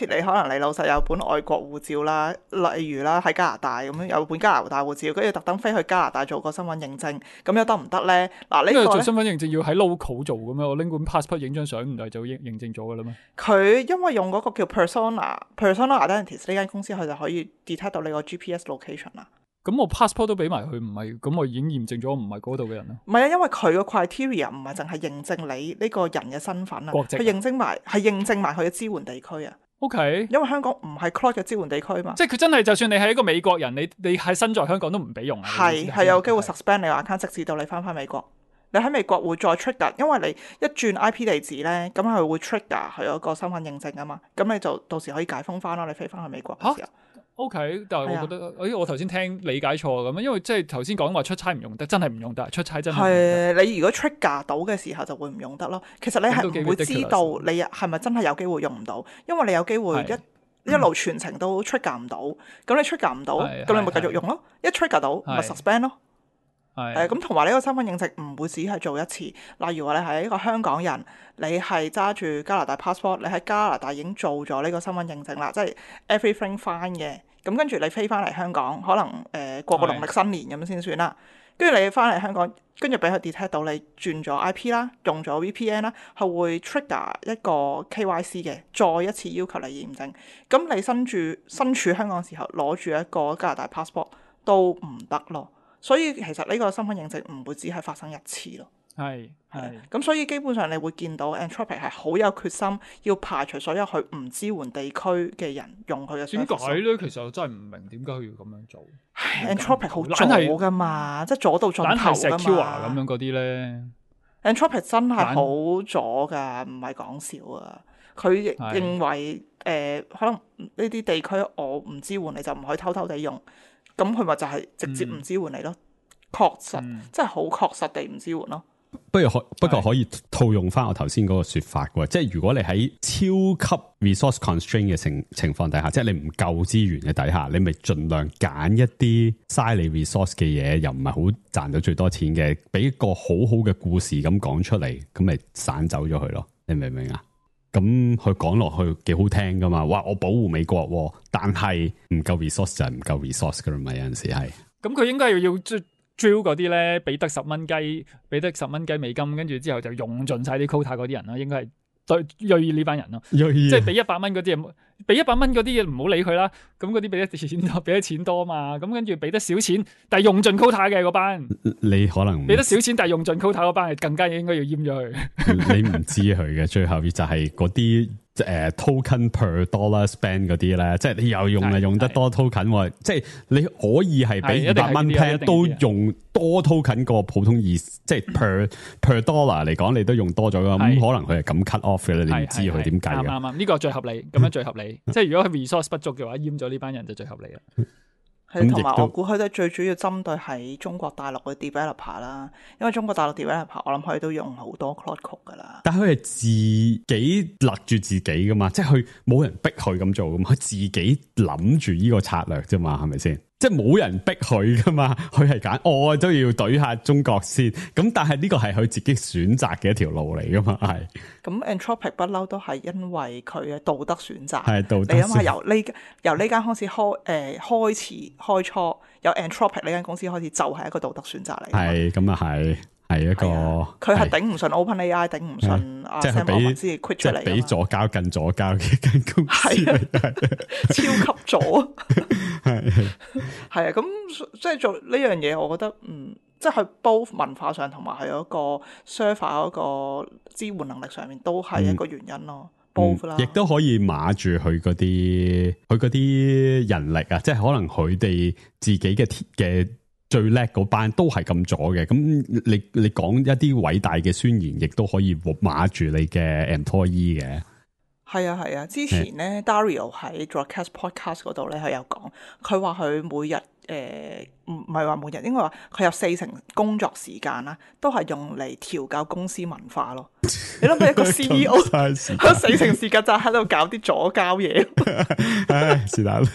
D: 你可能你老細有本外國護照啦，例如啦喺加拿大咁樣有本加拿大護照，跟住特登飛去加拿大做個身份認證，咁又得唔得咧？嗱，呢個
A: 做身份認證要喺 local 做嘅咩？我拎本 passport 影張相唔係就認證咗嘅啦咩？
D: 佢因為用嗰個叫 Persona Identities 呢間公司，佢就可以 detect 到你個 GPS location 啦。
A: 咁我 passport 都俾埋佢，唔係咁我已經驗證咗我唔係嗰度嘅人咯。
D: 唔係啊，因為佢個 criteria 唔係淨係認證你呢個人嘅身份啊，佢認證埋佢嘅支援地區啊。
A: OK，
D: 因為香港唔係 Claude 嘅支援地區嘛。
A: 即係佢真係就算你係一個美國人，你係身在香港都唔俾用啊。
D: 係有機會 suspend 你個 account，直至到你翻美國。你喺美國會再 trigger，因為你一轉 IP 地址咧，咁佢會 trigger 佢有個身份認證啊嘛。咁你就到時可以解封翻咯，你飛翻去美國嘅時候。
A: OK， 但係我覺得，我頭先聽理解錯咁，因為即係頭先講話出差唔用得，真係唔用得，出差真係
D: 係你如果 trigger 到嘅時候就會唔用得咯。其實你係唔會知道你係咪真係有機會用唔到，因為你有機會一路全程都 trigger 唔到，咁你 trigger 唔到，咁你咪繼續用咯。一 trigger 到咪 suspend 咯。咁同埋呢個身份認證唔會只係做一次。例如話你係一個香港人，你係揸住加拿大 passport， 你喺加拿大已經做咗呢個身份認證啦，即係 everything fine 嘅。咁跟住你飛翻嚟香港，可能過個農曆新年咁先算啦。跟住你翻嚟香港，跟住俾佢 detect 到你轉咗 IP 啦，用咗 VPN 啦，係會 trigger 一個 KYC 嘅，再一次要求你驗證。咁你身處香港嘅時候攞住一個加拿大 passport 都唔得咯。所以其實呢個身份認證唔會只係發生一次咯。
A: 係。
D: 咁所以基本上你會見到 Anthropic 係好有決心要排除所有佢唔支援地區嘅人用佢嘅。
A: 點解咧？其實我真係唔明點解佢要咁樣做。
D: Anthropic 好左噶嘛，即係左到盡頭噶嘛。
A: 懶係 secure 咁樣嗰啲咧。
D: Anthropic 真係好左噶，唔係講笑啊！佢亦認為可能呢啲地區我唔支援你就唔可以偷偷地用，咁佢咪就係直接唔支援你咯。確實，即係好確實地唔支援咯。
E: 不過可以套用翻我頭先嗰個說法嘅，即係如果你喺超級 resource constraint 嘅情況底下，即係你唔夠資源嘅底下，你咪盡量揀一啲嘥你 resource 嘅嘢，又唔係好賺到最多錢嘅，俾一個好好嘅故事咁講出嚟，咁咪散走咗佢咯。你明唔明啊？咁佢講落去幾好聽噶嘛？哇！我保護美國，但係唔夠 resource 就係唔夠 resource 噶啦嘛。有陣時係咁，
A: 佢應該要drill 嗰啲咧，俾得10蚊雞，俾得10蚊雞美金，跟住之後就用盡晒啲 quota 嗰啲人咯，應該係對銳呢班人咯，即係俾100蚊嗰啲嘢，俾100蚊嗰啲嘢唔好理佢啦。咁嗰啲俾得錢多嘛，咁跟住俾得少錢，但係用盡 quota 嘅嗰班，
E: 你可能
A: 俾得少錢，但係用盡 quota 嗰班，更加應該要閹咗佢。
E: 你唔知佢嘅最後就係嗰啲。token per dollar spend 嗰啲咧，即係你又用得多 token，即係你可以係俾200蚊 plan 都用多 token 過普通即係 per dollar 嚟講，你都用多咗噶。咁可能佢係咁 cut off 嘅，你唔知佢點計嘅。
A: 啱，呢個最合理，咁樣最合理。即係如果佢 resource 不足嘅話，閹咗呢班人就最合理啦。
D: 同埋我估佢都最主要針對喺中國大陸嘅 developer 啦，因為中國大陸 developer 我諗佢都用好多 Claude Code 噶啦。但係佢係自
E: 己勒住自己噶嘛，即係佢冇人逼佢咁做噶嘛，佢自己諗住呢個策略啫嘛，係咪先？即係冇人逼佢噶嘛，佢係揀我都要懟下中國先。咁但係呢個係佢自己選擇嘅一條路嚟噶嘛，係。
D: 咁 Anthropic 不嬲都係因為佢嘅道德選擇。
E: 係道德。
D: 你諗下由呢間公司開初有 Anthropic 呢間公司開始就係一個道德選擇嚟。
E: 係咁啊係一個。
D: 佢係頂唔順 OpenAI， 頂唔順
E: 即係俾
D: 先 quit 出嚟。
E: 即係俾左膠更左膠嘅間公司
D: 超級左。係啊，咁即係做呢樣嘢，我覺得即係 both 文化上同埋係嗰個 server 嗰個支援能力上面都係一個原因咯。both 啦，
E: 亦都可以碼住佢嗰啲人力啊，即係可能佢哋自己嘅最叻嗰班都係咁左嘅，咁你講一啲偉大嘅宣言，亦都可以碼住你嘅 employee 嘅。
D: 係啊，之前咧 Dario 喺 Broadcast Podcast 嗰度咧，佢有講，佢話佢每日唔係話每日，應該話佢有40%工作時間啦，都係用嚟調教公司文化咯。你諗下一個 CEO，佢40%時間就喺度搞啲左膠嘢。
E: 唉，是但啦。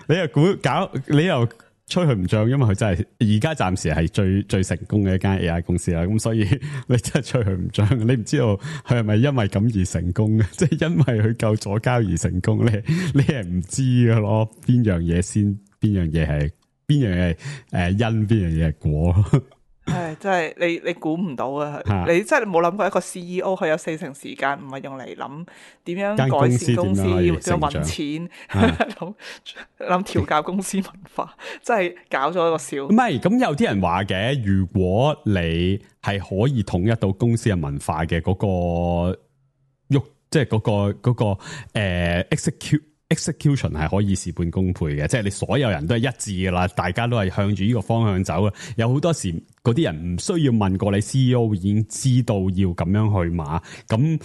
E: 你又吹佢唔漲，因為佢真係而家暫時係最成功嘅一間 AI 公司啦。咁所以你真係吹佢唔漲，你唔知道佢係咪因為咁而成功嘅，即係因為佢夠左膠而成功咧？你係唔知嘅咯，邊樣嘢先，邊樣嘢係因，邊樣嘢係果。
D: 係，真係你估唔到啊！你真係冇諗過一個 CEO 佢有40%時間唔係用嚟諗點樣改善公司，點樣搵錢，諗調教公司文化，真係搞咗一個笑。
E: 唔係，咁有啲人話嘅，如果你係可以統一到公司嘅文化嘅嗰個即係嗰個execution 係可以事半功倍嘅，即係你所有人都係一致噶啦，大家都係向住呢個方向走嘅。有好多時嗰啲人唔需要問過你 CEO 已經知道要咁樣去碼，咁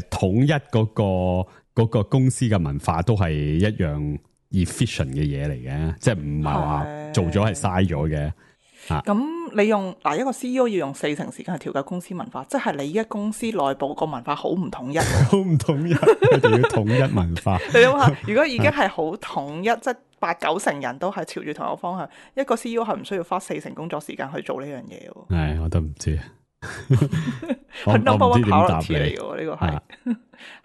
E: 統一嗰個公司嘅文化都係一樣 efficient 嘅嘢嚟嘅，即係唔係話做咗係嘥咗嘅。
D: 咁你用一個 CEO 要用40%時間去調教公司文化，即係你依家公司內部個文化好唔統一，
E: 好唔統一，一定要統一文化。
D: 你諗下，如果已經係好統一，即係8-9成人都係朝住同一個方向，一個 CEO 係唔需要花40%工作時間去做呢樣嘢喎。
E: 係，我都唔知。
D: 係 number one priority 嚟嘅，呢個係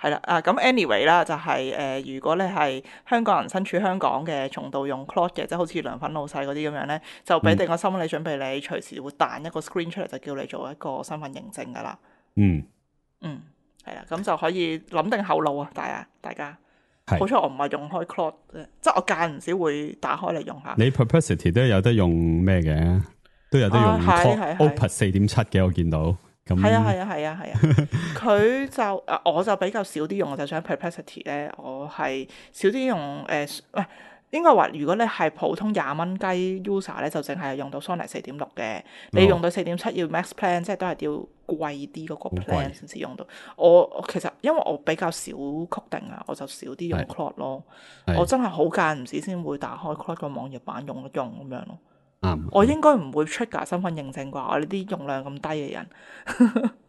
D: 係啦。咁 anyway 啦，就係如果你係香港人身處香港嘅，重度用 Claude 嘅，即係好似梁粉老細嗰啲咁樣咧，就俾定個心理準備，你隨時會彈一個 screen 出嚟，就叫你做一個身份認證噶啦。係啦，咁就可以諗定後路啊，大家。好彩我唔係用開 Claude 啫，即係我間唔少會打開嚟用下。
E: 你 Perplexity 都有得用咩嘅？都有得用 Opus 4.7嘅，我見到。咁
D: 係啊，佢就我就比較少啲用，我就想 Perplexity 咧，我係少啲用應該話，如果你係普通20蚊雞 user 咧，就淨係用到 Sony 4.6嘅。你用到4.7要 Max Plan，即係都係要貴啲嗰個 plan 先至用到。我其實因為我比較少 coding 啊，我就少啲用 Claude 咯。我真係好間唔時先會打開 Claude 個網頁版用一用咁樣咯。我應該唔會 trigger 身份認證啩？我呢啲用量咁低嘅人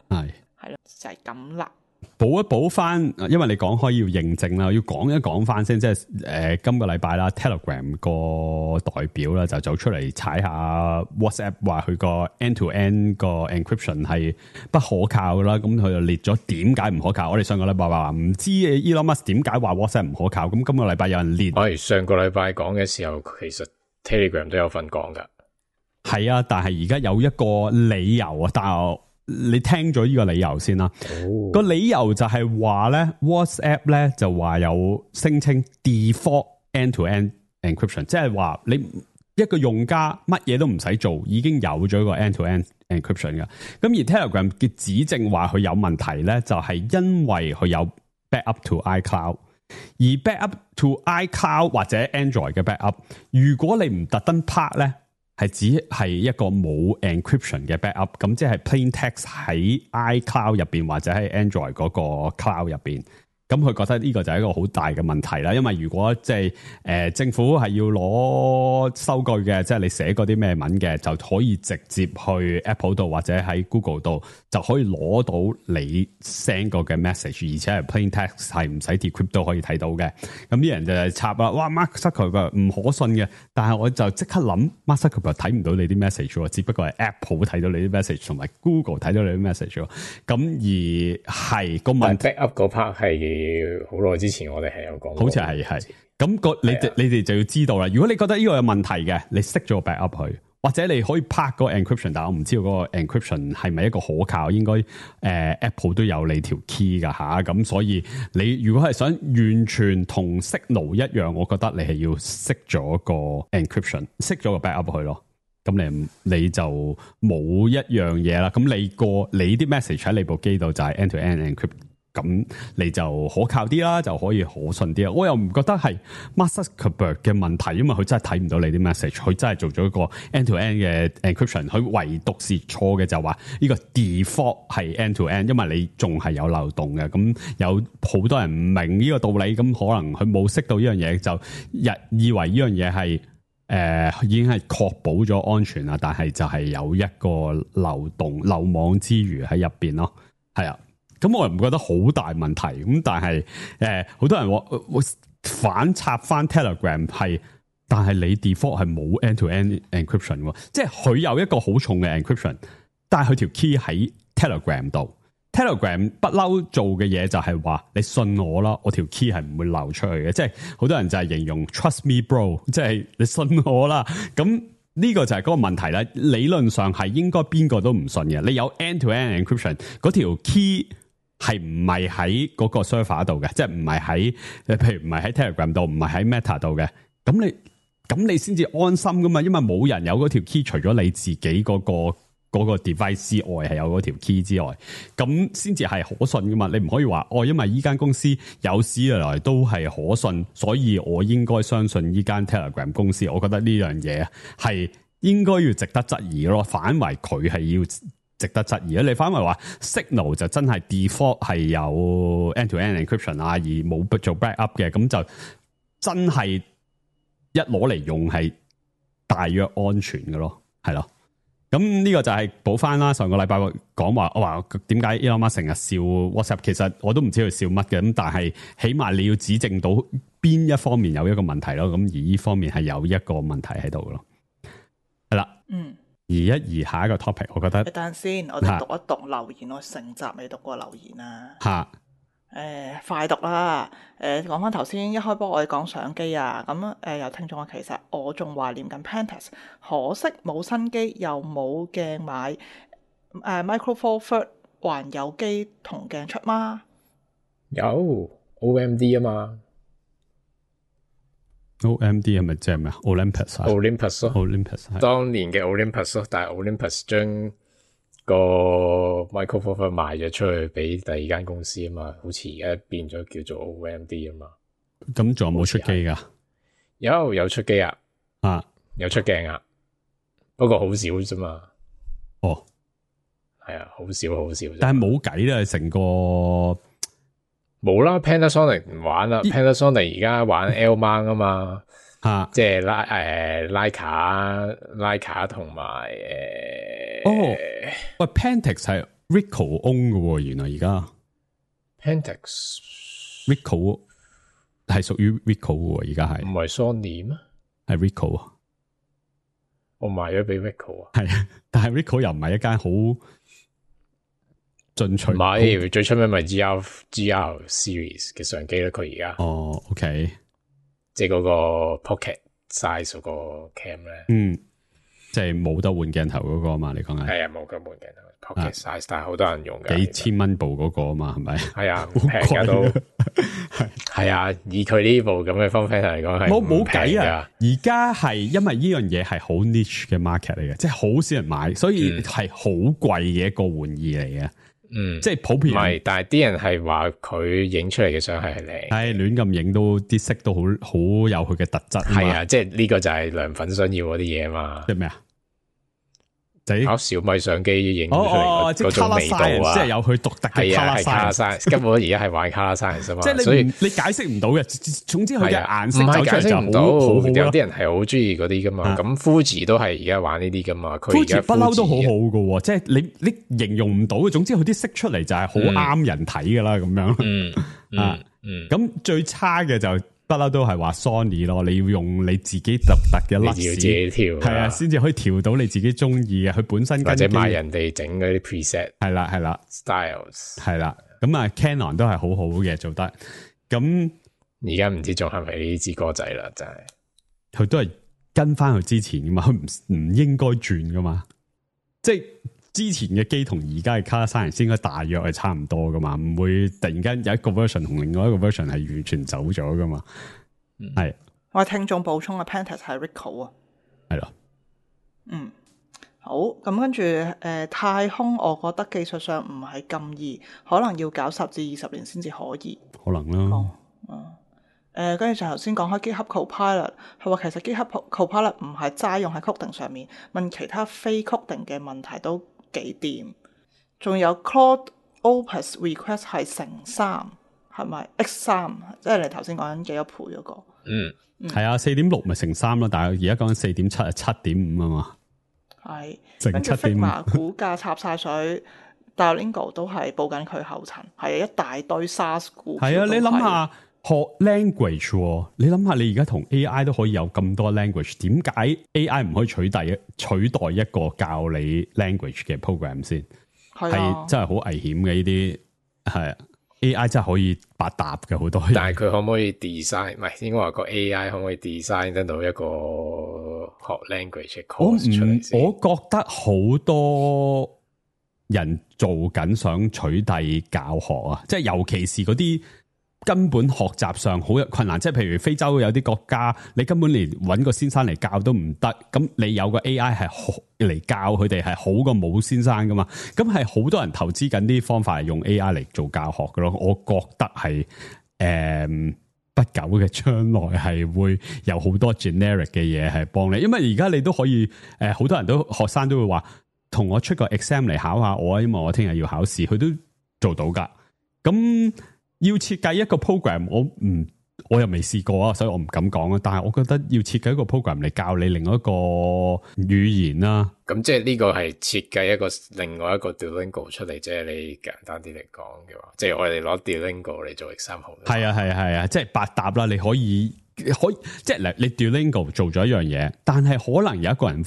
D: 係咯，就係咁啦。
E: 補一補翻，因為你講開要認證啦，要講一講翻先，即係今個禮拜啦 ，Telegram 個代表啦就走出嚟踩下 WhatsApp， 話佢個 end-to-end 個 encryption 係不可靠啦，咁佢就列咗點解唔可靠。我哋上個禮拜話唔知 Elon Musk 點解話 WhatsApp 唔可靠，咁今個禮拜有人列。
C: 我哋上個禮拜講嘅時候，其實 Telegram 都有份講噶。
E: 係啊，但係而家有一個理由啊，但係你聽咗呢個理由先啦。個理由就係話咧 ，WhatsApp 咧就話有聲稱 default end-to-end encryption， 即係話你一個用家乜嘢都唔使做，已經有咗個 end-to-end encryption 嘅。咁而 Telegram 嘅指證話佢有問題咧，就係因為佢有 backup to iCloud， 而 backup to iCloud 或者 Android 嘅 backup， 如果你唔特登拍咧，係只係一個冇 encryption 嘅 backup， 咁即係 plain text 喺 iCloud 入邊或者喺 Android 嗰個 cloud 入邊。咁佢覺得呢個就係一個好大嘅問題啦，因為如果即係政府係要攞收據嘅，即係你寫嗰啲咩文嘅，就可以直接去 Apple 度或者喺 Google 度就可以攞到你 send 過嘅 message， 而且係 plain text 係唔使 decrypt 都可以睇到嘅。咁啲人就係插啦，哇 Mark Zuckerberg 唔可信嘅，但係我就即刻諗 Mark Zuckerberg 睇唔到你啲 message 喎，只不過係 Apple 睇到你啲 message 同埋 Google 睇到你啲 message 喎。咁而係個問題
C: backup 嗰 part 係好耐之前我哋係有講過，
E: 好似係咁你哋就要知道啦。如果你覺得呢個有問題嘅，你熄咗個 backup 去，或者你可以拍個 encryption， 但係我唔知道嗰個 encryption 係咪一個可靠，應該Apple 都有你條 key 噶吓，咁所以你如果係想完全同 Signal 一樣，我覺得你係要熄咗個 encryption， 熄咗個 backup 去咯。咁你就冇一樣嘢啦。咁你啲 message 喺你部機度就係 end-to-end encrypt。咁你就可靠啲啦，就可以可信啲啦。我又唔覺得係 Mark Zuckerberg 嘅問題，因為佢真係睇唔到你啲 message， 佢真係做咗一個 end-to-end 嘅 encryption， 佢唯獨是錯嘅就話呢個 default 係 end-to-end， 因為你仲係有漏洞嘅。咁有好多人唔明呢個道理，咁可能佢冇識到呢樣嘢，就以為呢樣嘢係已經係確保咗安全啦，但係就係有一個漏網之魚喺入邊咯，係啊。咁我又唔覺得好大問題，咁但係好多人話反插翻 Telegram 係，但係你 default 係冇 end-to-end encryption 喎，即係佢有一個好重嘅 encryption，但係佢條 key 喺 Telegram 度。Telegram 不嬲做嘅嘢就係話你信我啦，我條 key 係唔會流出去嘅，即係好多人就係形容 trust me bro， 即係你信我啦，咁。呢個就係嗰個問題啦，理論上係應該邊個都唔信嘅。你有 end-to-end encryption， 嗰條 key 係唔係喺嗰個 server 度嘅，即係唔係喺，譬如唔係喺 Telegram 度，唔係喺 Meta 度嘅。咁你先至安心噶嘛，因為冇人有嗰條 key， 除咗你自己嗰個 device 之外，係有嗰條 key 之外，咁先至係可信噶嘛。你唔可以話因為依間公司有史以來都係可信，所以我應該相信依間 Telegram 公司。我覺得呢樣嘢係應該要值得質疑咯，反為佢係要值得質疑。你反為話 Signal 就真係 default 係有 end-to-end encryption 啊，而冇做 backup 嘅，咁就真係一攞嚟用係大約安全嘅咯，係咯。咁呢個就係補翻啦。上個禮拜講話，我話點解 Elon Musk 成日笑 WhatsApp， 其實我都唔知佢笑乜嘅。咁但係起碼你要指證到邊一方面有一個問題咯。咁而呢方面係有一個問題喺度咯。係啦，移下一個 topic， 我覺得。
D: 等陣先，我哋讀一讀留言。我成集未讀過留言啊。嚇！快讀啦！講翻頭先一開波我哋講相機啊，咁有聽眾話其實我仲懷念緊 Pentax， 可惜冇新機又冇鏡買，Micro Four Third 還有機同鏡出嗎？
C: 有 OMD 啊嘛
E: ，OMD 係咪即係咩啊 ？Olympus
C: 咯
E: ，Olympus
C: 當年嘅 Olympus 咯，但係 Olympus 將個 Micro Four Third 賣咗出去俾第二間公司啊嘛，好似而家變咗叫做 OMD 啊嘛。
E: 咁仲有冇出機噶？
C: 有出機啊，有出鏡啊，不過好少啫嘛。
E: 哦，
C: 係啊，好少。
E: 但係冇計啦，成個
C: 冇啦 ，Panasonic 唔玩啦，Panasonic 而家玩 L mount 啊嘛，即係Leica 同埋
E: 喂 Pentax 係 Ricoh own 嘅喎，原來而家
C: Pentax
E: Ricoh 係屬於 Ricoh 嘅喎，而家係
C: 唔係 Sony 咩？
E: 係 Ricoh 啊，
C: 我賣咗俾 Ricoh 啊，
E: 係，但係 Ricoh 又唔係一間好進取，
C: 唔係最出名咪 GR series 嘅相機咯，佢而家
E: OK，
C: 即係嗰個 Pocket size 嗰個 cam 咧，
E: 即係冇得換鏡頭嗰個啊嘛，你講係？
C: 係啊，冇得換鏡頭 Pocket size，但係好多人用嘅，
E: 幾千蚊部嗰個啊嘛，係咪？
C: 係啊，唔平㗎都係啊，以佢呢部咁嘅 form factor 嚟講係
E: 冇計啊！而家係因為呢樣嘢係好 niche 嘅 market 嚟嘅，即係好少人買，所以係好貴嘅一個玩意嚟嘅。即係普遍唔係，
C: 但係啲人係話佢影出嚟嘅相係靚，
E: 係亂咁影都啲色都好有佢嘅特質。
C: 係啊，即係呢個就係良粉想要嗰啲嘢啊嘛。
E: 即係咩啊？
C: 搞小米相機影出嚟嗰種味道啊，
E: 即係有佢獨特嘅 color
C: science。根本而家係玩 color science 啊嘛，
E: 即係
C: 所以
E: 你解釋唔到嘅。總之佢嘅顏色
C: 唔係解釋唔到，有啲人係好中意嗰啲噶嘛。咁 Fuji 都係而家玩呢啲噶嘛。佢而家
E: 不嬲都好好噶，即係你形容唔到嘅。總之佢啲色出嚟就係好啱人睇噶啦，咁樣。咁最差嘅就不嬲都係話 Sony 咯，你要用你自己獨特嘅粒子，
C: 自己調
E: 係啊，先至可以調到你自己中意嘅。佢本身
C: 或者買人哋整嗰啲 preset，
E: 係啦
C: styles，
E: 係啦。咁啊 Canon 都係好好嘅做得。咁
C: 而家唔知仲係咪呢支歌仔啦，真係
E: 佢都係跟翻佢之前噶嘛，佢唔應該轉噶嘛，即係。之前嘅機同而家嘅 color science 應該大約係差唔多噶嘛，唔會突然間有一個 version 同另外一個 version 係完全走咗噶嘛。係
D: 我聽眾補充嘅 Pentax 係 Ricoh 啊，
E: 係咯。
D: 好，咁跟住太空，我覺得技術上唔係咁易，可能要搞10至20年先至可以。
E: 可能啦。
D: 跟住就頭先講開 GitHub Copilot，佢話其實 GitHub Copilot 唔係齋用喺 coding 上面，問其他非 coding 嘅問題都幾掂。仲有 Claude Opus Request 係乘3，係咪 X3？即係你頭先講緊幾多倍嗰個？
E: 係啊，4.6咪乘3咯，但係而家講緊4.7係7.5啊嘛。係
D: 跟住 Figma 股價插晒水，Duolingo 都係報緊佢後塵，係一大堆 SaaS 股。
E: 係啊，你諗下學 language，你諗下你而家同 AI 都可以有咁多 language， 點解 AI 唔可以取代一個教你 language 嘅 program 先？係真係好危險嘅呢啲，係 AI 真係可以百搭嘅好多嘢。
C: 但係佢可唔可以 design？ 唔係應該話個 AI 可唔可以 design 得到一個學 language 嘅 course 出嚟先？
E: 我覺得好多人做緊想取締教學啊，即係尤其是嗰啲根本學習上好有困難，即係譬如非洲有啲國家，你根本連揾個先生嚟教都唔得，咁你有個 AI 係嚟教佢哋係好過冇先生噶嘛，咁係好多人投資緊啲方法係用 AI 嚟做教學噶咯，我覺得係不久嘅將來係會有好多 generic 嘅嘢係幫你，因為而家你都可以好多人都學生都會話同我出個 exam 嚟考下我，因為我聽日要考試，佢都做到噶，咁。要設計一個 program，我又未試過啊，所以我唔敢講啊。但係我覺得要設計一個 program 嚟教你另外一個語言啦。
C: 咁即係呢個係設計另外一個 Duolingo 出嚟，即係你簡單啲嚟講嘅話，即係我哋攞 Duolingo 嚟做 example。係
E: 啊，即係百搭啦。你可以即係你 Duolingo 做咗一樣嘢，但係可能有一個人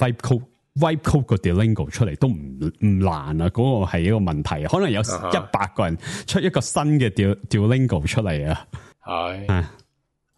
E: wipe code 個 Duolingo 出嚟都唔難啊！嗰個係一個問題，可能有100個人出一個新嘅 Duolingo 出嚟啊！係，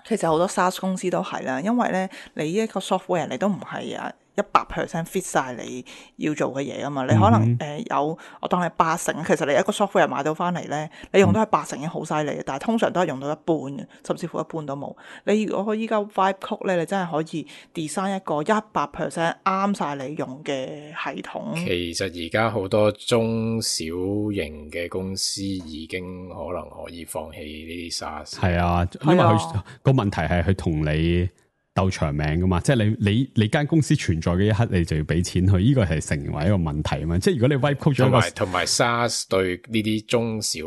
D: 其實好多 SaaS 公司都係啦，因為咧你呢一個 software 你都唔係100% fit 晒你要做嘅嘢啊嘛，你可能有我當你80%，其實你一個 software 買到翻嚟咧，你用到係80%已經好犀利，但係通常都係用到一半嘅，甚至乎一半都冇。你如果依家 Vibe Code 咧，你真係可以 design 一個100% 啱晒你用嘅系統。
C: 其實而家好多中小型嘅公司已經可能可以放棄呢啲 SaaS。
E: 係啊，因為佢個問題係佢同你鬥長命噶嘛，即係你間公司存在嘅一刻，你就要俾錢去，呢個係成為一個問題啊嘛。即係如果你 wipe code 咗一個，
C: 同埋 SaaS 對呢啲中小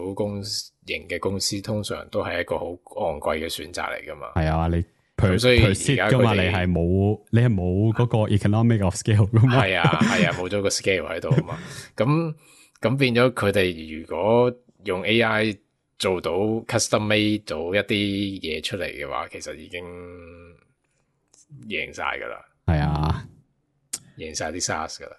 C: 型嘅公司，通常都係一個好昂貴嘅選擇嚟噶嘛。
E: 係啊，你
C: 所以
E: per seat 噶嘛，你係冇嗰個 economic of scale 噶嘛。
C: 係啊，冇咗個 scale 喺度啊嘛。咁變咗佢哋如果用 AI 做到 custom made 做一啲嘢出嚟嘅話，其實已經贏晒噶啦。
E: 係啊，
C: 贏晒啲 SaaS 噶啦。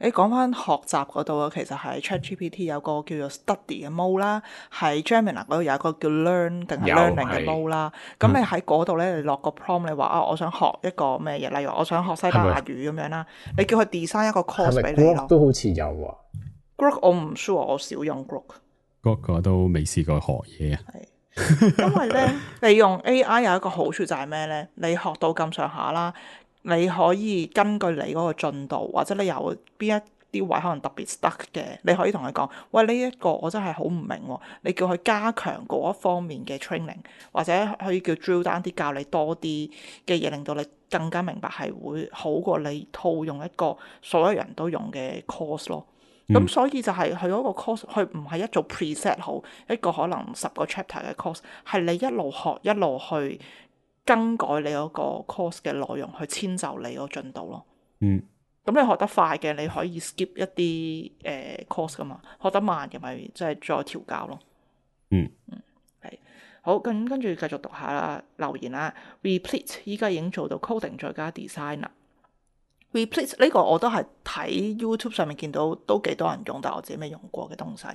D: 你講翻學習嗰度啊，其實係 ChatGPT 有個叫做 Study 嘅 mode 啦，喺 Gemini 嗰度有一個叫 Learn 定係 Learning 嘅 mode 啦。咁你喺嗰度咧，你落個 prompt，你話我想學一個咩嘢，例如我想學西班牙語咁樣啦，你叫佢 design 一個 course 俾你咯。
C: 都好似有啊。
D: Grok 我唔 sure，我少用 Grok。
E: 我都未試過學嘢啊。
D: 係，因為咧，你用 AI 有一個好處就係咩咧？你學到咁上下啦。你可以根據你嗰個進度，或者你有邊一啲位可能特別 stuck 嘅，你可以同佢講：喂，呢一個我真係好唔明喎。你叫佢加強嗰一方面嘅 training，或者可以叫 drill down 啲教你多啲嘅嘢，令到你更加明白，係會好過你套用一個所有人都用嘅 course 咯。咁所以就係佢嗰個 course，佢唔係一做 preset 好一個可能10個 chapter 嘅 course，係你一路學一路去更改你嗰個 course 嘅內容，去遷就你個進度咯。咁你學得快嘅，你可以 skip 一啲course 噶嘛。學得慢嘅咪即係再調教咯。係好，跟住繼續讀下啦留言啦。Replete 依家已經做到 coding 再加 design 啦。Replete 呢個我都係睇 YouTube 上面見到都幾多人用，但係我自己未用過嘅東西。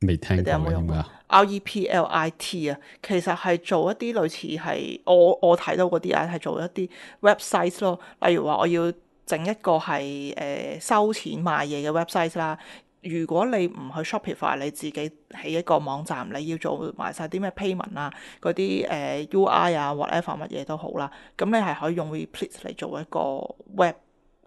E: 未聽過，
D: 你哋有冇用過？Replit 啊，其實係做一啲類似係我睇到嗰啲啊，係做一啲 website 咯。例如話我要整一個係收錢賣嘢嘅 website 啦。如果你唔去 Shopify， 你自己起一個網站，你要做埋晒啲咩 payment 啊，嗰啲UI 啊 whatever 乜嘢都好啦。咁你係可以用 Replit 嚟做一個 web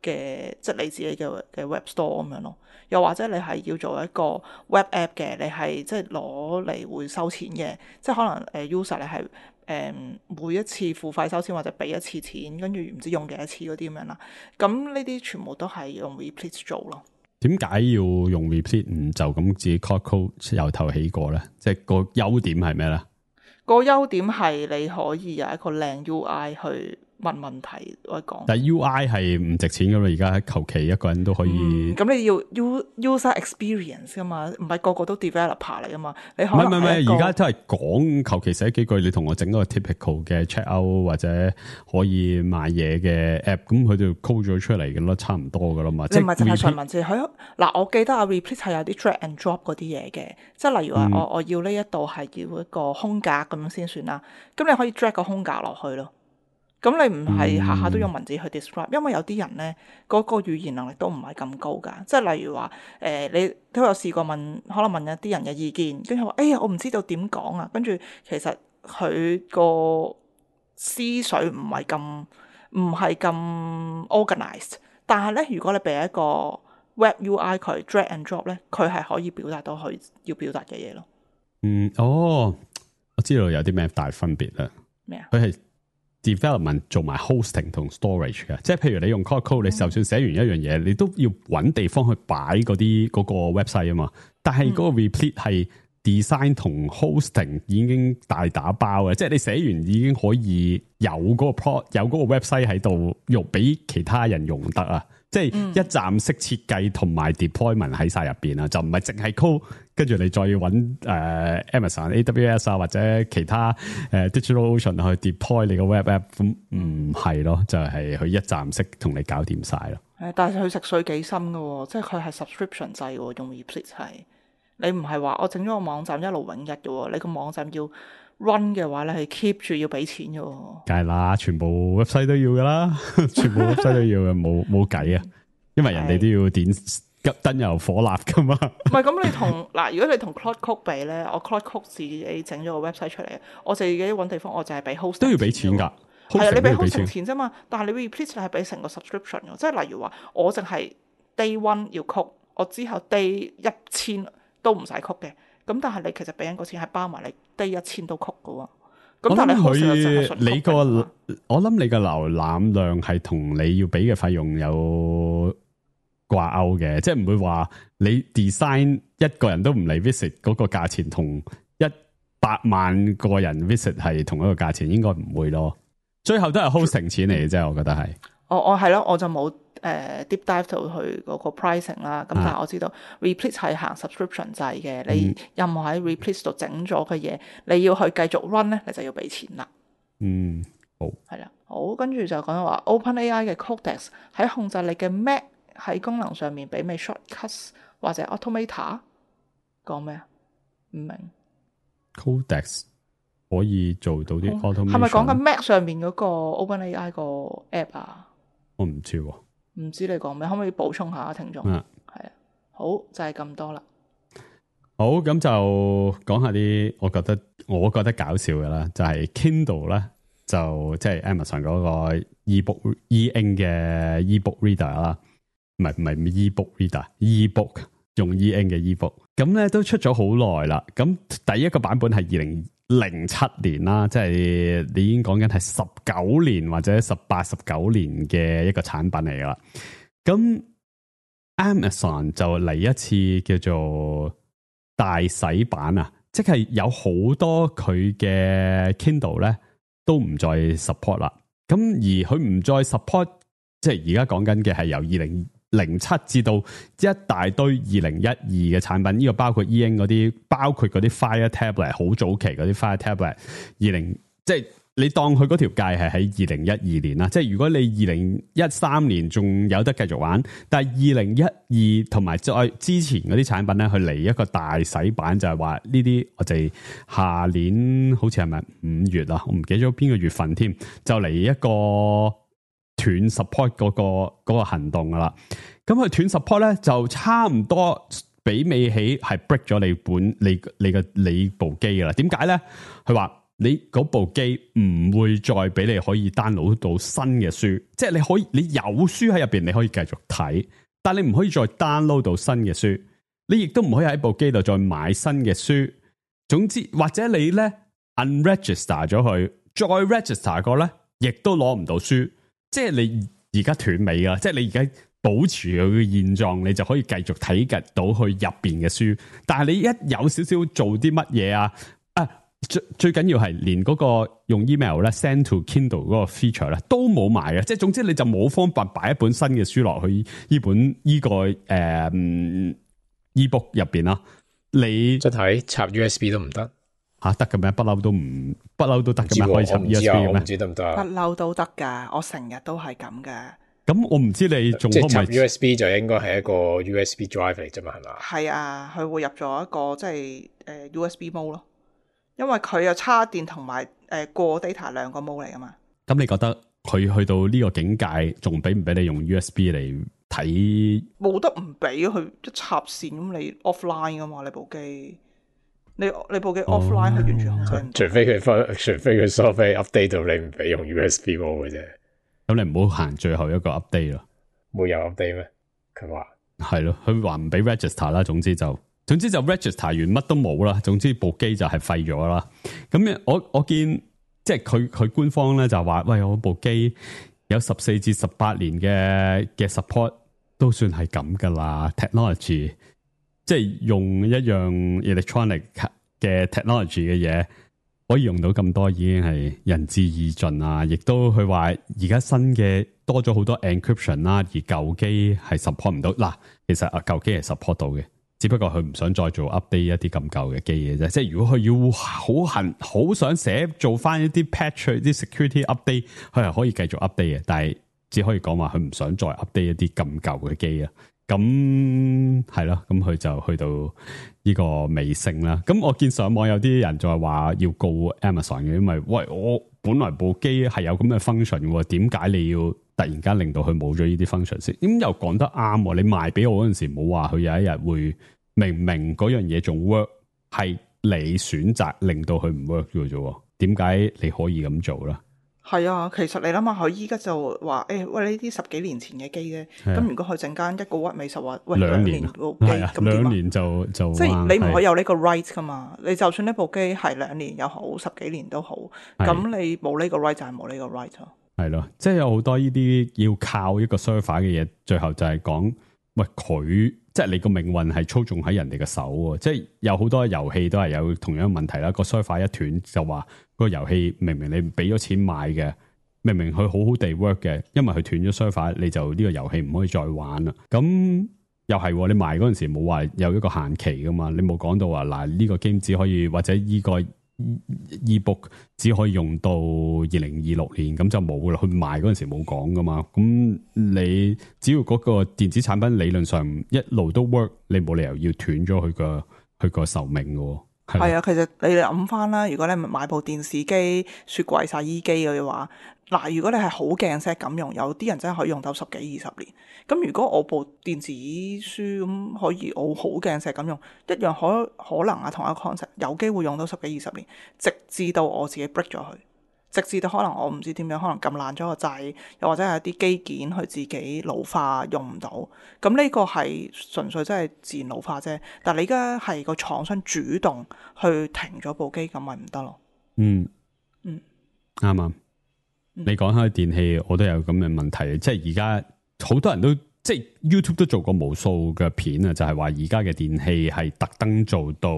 D: 嘅，即係你自己嘅 web store 咁樣咯。又或者你係要做一個 web app 嘅，你係即係攞嚟會收錢嘅，即係可能user 你係每一次付費收錢或者俾一次錢，跟住唔知用幾多次嗰啲咁樣啦。咁呢啲全部都係用 Replit 做咯。
E: 點解要用 Replit 唔就咁自己 code 由頭起過咧？即係個優點係咩咧？
D: 個優點係你可以有一個靚 UI 去問問題我講，
E: 但係 UI 係唔值錢噶嘛？而家求其一個人都可以。
D: 咁你要 user experience 噶嘛？唔係個個都 developer 嚟噶嘛？你可能
E: 唔係，而家都係講求其寫幾句，你同我整嗰個 typical 嘅 checkout 或者可以賣嘢嘅 app， 咁佢就 code 咗出嚟嘅咯，差唔多噶啦嘛。
D: 你唔係淨係純文字，佢嗱我記得啊 Replit 係有啲 drag and drop 嗰啲嘢嘅，即係例如話我要呢一度係要一個空格咁樣先算啦，咁你可以 drag 個空格落去咯。咁你唔係下下都用文字去 describe，因為有啲人咧嗰個語言能力都唔係咁高噶，即係例如話你都有試過可能問一啲人嘅意見，跟住話哎呀我唔知道點講啊，跟住其實佢個思緒唔係咁 organized， 但係咧如果你俾一個 web UI 佢 drag and drop 咧，佢係可以表達到佢要表達嘅嘢咯。
E: 我知道有啲咩大分別啦。
D: 咩啊？
E: 佢係development 做埋 hosting 同 storage 嘅，即係譬如你用 code， 你就算寫完一樣嘢，你都要揾地方去擺嗰個 website 啊嘛。但係嗰個 Replit 係 design 同 hosting 已經大打包嘅，即係你寫完已經可以有嗰個 website 喺度用俾其他人用得啊。即係一站式設計同埋 deployment 喺晒入邊啊，就唔係淨係 code， 跟住你再要揾Amazon AWS 啊或者其他DigitalOcean 去 deploy 你個 web app， 咁唔係咯，就係佢一站式同你搞掂晒咯。
D: 但係佢食水幾深噶喎，即係佢係 subscription 制喎，用 Replit 係你唔係話我整咗個網站一勞永逸嘅喎，你個網站要 run 嘅話咧係 keep 住要俾錢嘅喎。梗係啦，全部 website 都要噶啦，全部 website 都要嘅，冇計啊，因為人哋都要點急燈油火蠟噶嘛。唔係咁，你同嗱，如果你同 Claude Code 比咧，我 Claude Code 自己整咗個 website 出嚟，我自己揾地方，我就係俾 host 都要俾錢㗎。係啊，你俾 hosting 錢啫嘛，但係你 Replit 係俾成個 subscription 嘅，即係例如話我淨係 day one 要 code，我之後 day 1000都唔使 code 嘅，咁但係你其實俾緊個錢係包埋你 day 1000都 code 嘅喎，咁但係你 host 就淨係
E: 佢
D: 純
E: 你個
D: copy 嘛
E: 我諗你個瀏覽量係同你要俾嘅費用有掛鈎嘅，即係唔會話你 design 一個人都唔嚟 visit 嗰個價錢同100萬個人 visit 係同一個價錢，應該唔會咯。最後都係 hosting 錢嚟嘅啫，我覺得係。
D: 我係咯，我就冇deep dive 到去嗰個 pricing 啦。咁但係我知道 Replete 係行 subscription 制嘅，你任何喺 Replete 度整咗嘅嘢，你要去繼續 run 咧，你就要俾錢啦。
E: 好
D: 係啦，好，跟住就講到話 OpenAI 嘅 Codex 喺控制你嘅 Mac 喺功能上面媲美 Shortcuts 或者 Automator， 講咩啊？唔明。
E: Codex 可以做到啲 automation，
D: 係咪講緊 Mac 上面嗰個 OpenAI 個 app 啊？
E: 我唔知喎，
D: 唔知你講咩，可唔可以補充下聽眾？係啊，好就係咁多啦。
E: 好，咁就講下啲我覺得搞笑嘅啦，就係 Kindle 咧，就即係 Amazon 嗰個 ebook e-ink 嘅 ebook reader 啦，唔係 ebook reader，ebook 用 e-ink 嘅 ebook， 咁咧都出咗好耐啦。咁第一個版本係2007年啦，即係你已經講緊係19年或者18、19年嘅一個產品嚟噶啦。咁 Amazon 就嚟一次叫做大洗版啊，即係有好多佢嘅 Kindle 咧都唔再 support 啦。咁而佢唔再 support， 即係而家講緊嘅係由2007至到一大堆2012嘅產品，呢個包括 E-ink 嗰啲，包括嗰啲 Fire Tablet 好早期嗰啲 Fire Tablet， 即係你當佢嗰條界係喺2012年啦。即係如果你2013年仲有得繼續玩，但係2012同埋再之前嗰啲產品咧，佢嚟一個大洗版，就係話呢啲我哋下年好似係咪5月啊？我唔記得咗邊個月份添，就嚟一個斷 support 嗰個行動噶啦。咁佢斷 support 咧就差唔多媲美起係 break 咗你部機噶啦。點解咧？佢話你嗰部機唔會再俾你可以 download 到新嘅書，即係你有書喺入邊，你可以繼續睇，但你唔可以再 download 到新嘅書，你亦都唔可以喺部機度再買新嘅書。總之，或者你咧 unregister 咗佢，再 register 過咧，亦都攞唔到書。即係你而家斷尾啦，即係你而家保持佢嘅現狀，你就可以繼續睇到佢入邊嘅書。但係你一有少少做啲乜嘢啊？最緊要係連嗰個用 email 咧 send to Kindle 嗰個 feature 咧都冇埋嘅。即係總之你就冇方法擺一本新嘅書落去呢本呢個ebook 入邊啦。你
C: 即係插 USB 都唔得
E: 吓？得嘅咩？不嬲都得嘅咩？可以插 USB 嘅咩？
C: 我唔知得唔得？
D: 不嬲都得噶，我成日都係咁噶。
E: 咁我唔知你仲
C: 即係插
E: 可唔可以
C: USB 就應該係一個 USB drive 嚟啫嘛，係嘛？
D: 係啊，佢會入咗一個即係USB mode 咯，因為佢有插電同埋過 data 兩個 mode 嚟噶嘛。
E: 咁你覺得佢去到呢個境界，仲俾唔俾你用 USB 嚟睇？
D: 冇得唔俾佢一插線咁，你 offline 噶嘛？你部機，你部機 offline 係完全控制唔到。
C: 除非佢 software update 到你唔俾用 USB mode 嘅啫。
E: 咁你唔好行最後一個 update 咯。
C: 冇有 update 咩？佢話
E: 係咯，佢話唔俾 register 啦。總之就 register 完乜都冇啦。總之部機就係廢咗啦。咁我見即係佢官方咧就話，喂，我部機有14至18年嘅 support 都算係咁噶啦。technology 即係用一樣 electronic 嘅 technology 嘅嘢，可以用到咁多，已經係仁至義盡啊！亦都佢話而家新嘅多咗好多 encryption 啦，而舊機係 support 唔到。嗱，其實舊機係 support 到嘅，只不過佢唔想再做 update 一啲咁舊嘅機嘅啫。即係如果佢要好想做翻一啲 patch 啲 security update，佢係可以繼續 update 嘅，但係只可以講話佢唔想再 update 一啲咁舊嘅機啊。咁係咯，咁佢就去到呢個尾聲啦。咁我見上網有啲人就係話要告 Amazon 嘅，因為喂，我本來部機係有咁嘅 function 嘅，點解你要突然間令到佢冇咗呢啲 function 先？咁又講得啱，你賣俾我嗰陣時冇話佢有一日會明嗰樣嘢仲 work， 係你選擇令到佢唔 work 嘅啫。點解你可以咁做啦？
D: 係啊，其實你諗下，佢依家就話喂，呢啲10幾年前嘅機啫。咁如果佢陣間一個屈美術話喂2年部機，咁點
E: 2年就
D: 即係你唔可以有呢個 right 噶嘛？你就算呢部機係2年又好，10幾年都好，咁你冇呢個 right 就係冇呢個 right 咯。
E: 係咯，即係有好多呢啲要靠一個 server 嘅嘢，最後就係講喂佢，即係你個命運係操縱喺人哋嘅手喎。即係有好多遊戲都係有同樣問題啦。個 server 一斷就話個遊戲明明你俾咗錢買嘅，明明佢好好地 work 嘅，因為佢斷咗 server，你就呢個遊戲唔可以再玩啦。咁又係你賣嗰陣時冇話有一個限期噶嘛？你冇講到話嗱呢個 game 只可以或者呢個 ebook 只可以用到2026年，咁就冇啦。佢賣嗰陣時冇講噶嘛。咁你只要嗰個電子產品理論上一路都 work， 你冇理由要斷咗佢個壽命嘅。
D: 係啊，其實你哋諗翻啦，如果你買部電視機、雪櫃、洗衣機嘅話，嗱，如果你係好鏡石咁用，有啲人真係可以用到10幾20年。咁如果我部電子書咁可以我好鏡石咁用，一樣可能啊，同一個 concept 有機會用到10幾20年，直至到我自己 break 咗佢。直至到可能我唔知點樣，可能撳爛咗個掣，又或者係一啲機件佢自己老化用唔到，咁呢個係純粹真係自然老化啫。但係你而家係個廠商主動去停咗部機，咁咪唔得咯。
E: 啱啊。你講開電器，我都有咁嘅問題，即係而家好多人都即係 YouTube 都做過無數嘅片啊，就係話而家嘅電器係特登做到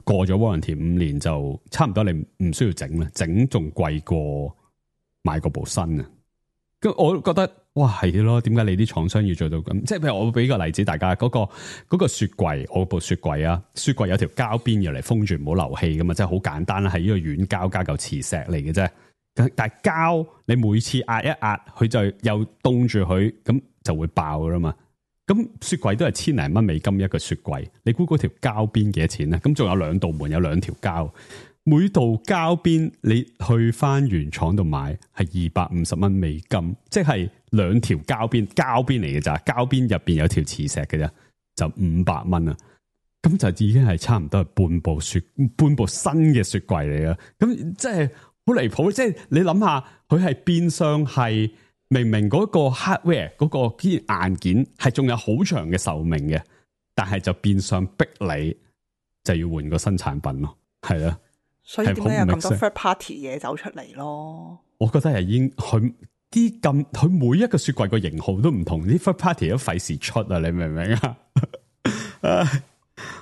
E: 過咗 warranty 5年就差唔多，你唔需要整啦，整仲貴過買嗰部新啊。咁我覺得哇係咯，點解你啲廠商要做到咁？即係譬如我俾個例子，大家嗰個雪櫃，我部雪櫃啊，雪櫃有條膠邊要嚟封住，唔好漏氣噶嘛，即係好簡單啦，係呢個軟膠加嚿磁石嚟嘅啫。但係膠你每次壓一壓，佢就又凍住佢，咁就會爆噶啦嘛。咁雪櫃都係千零蚊美金一個雪櫃，你估嗰條膠邊幾多錢咧？咁仲有2道門，有2條膠，每道膠邊你去翻原廠度買係250蚊美金，即係2條膠邊嚟嘅咋，膠邊入邊有條磁石嘅啫，就500蚊啊！咁就已經係差唔多係半部新嘅雪櫃嚟嘅，咁即係好離譜。即係你諗下，佢係變相係。明明嗰個 hardware 嗰個硬件係仲有好長嘅壽命嘅，但係就變相逼你就要換個新產品咯，係啊。
D: 所以點解有咁多 third party 嘢走出嚟咯？
E: 我覺得係已經佢每一個雪櫃個型號都唔同，啲 third party 都費事出啊！你明唔明啊？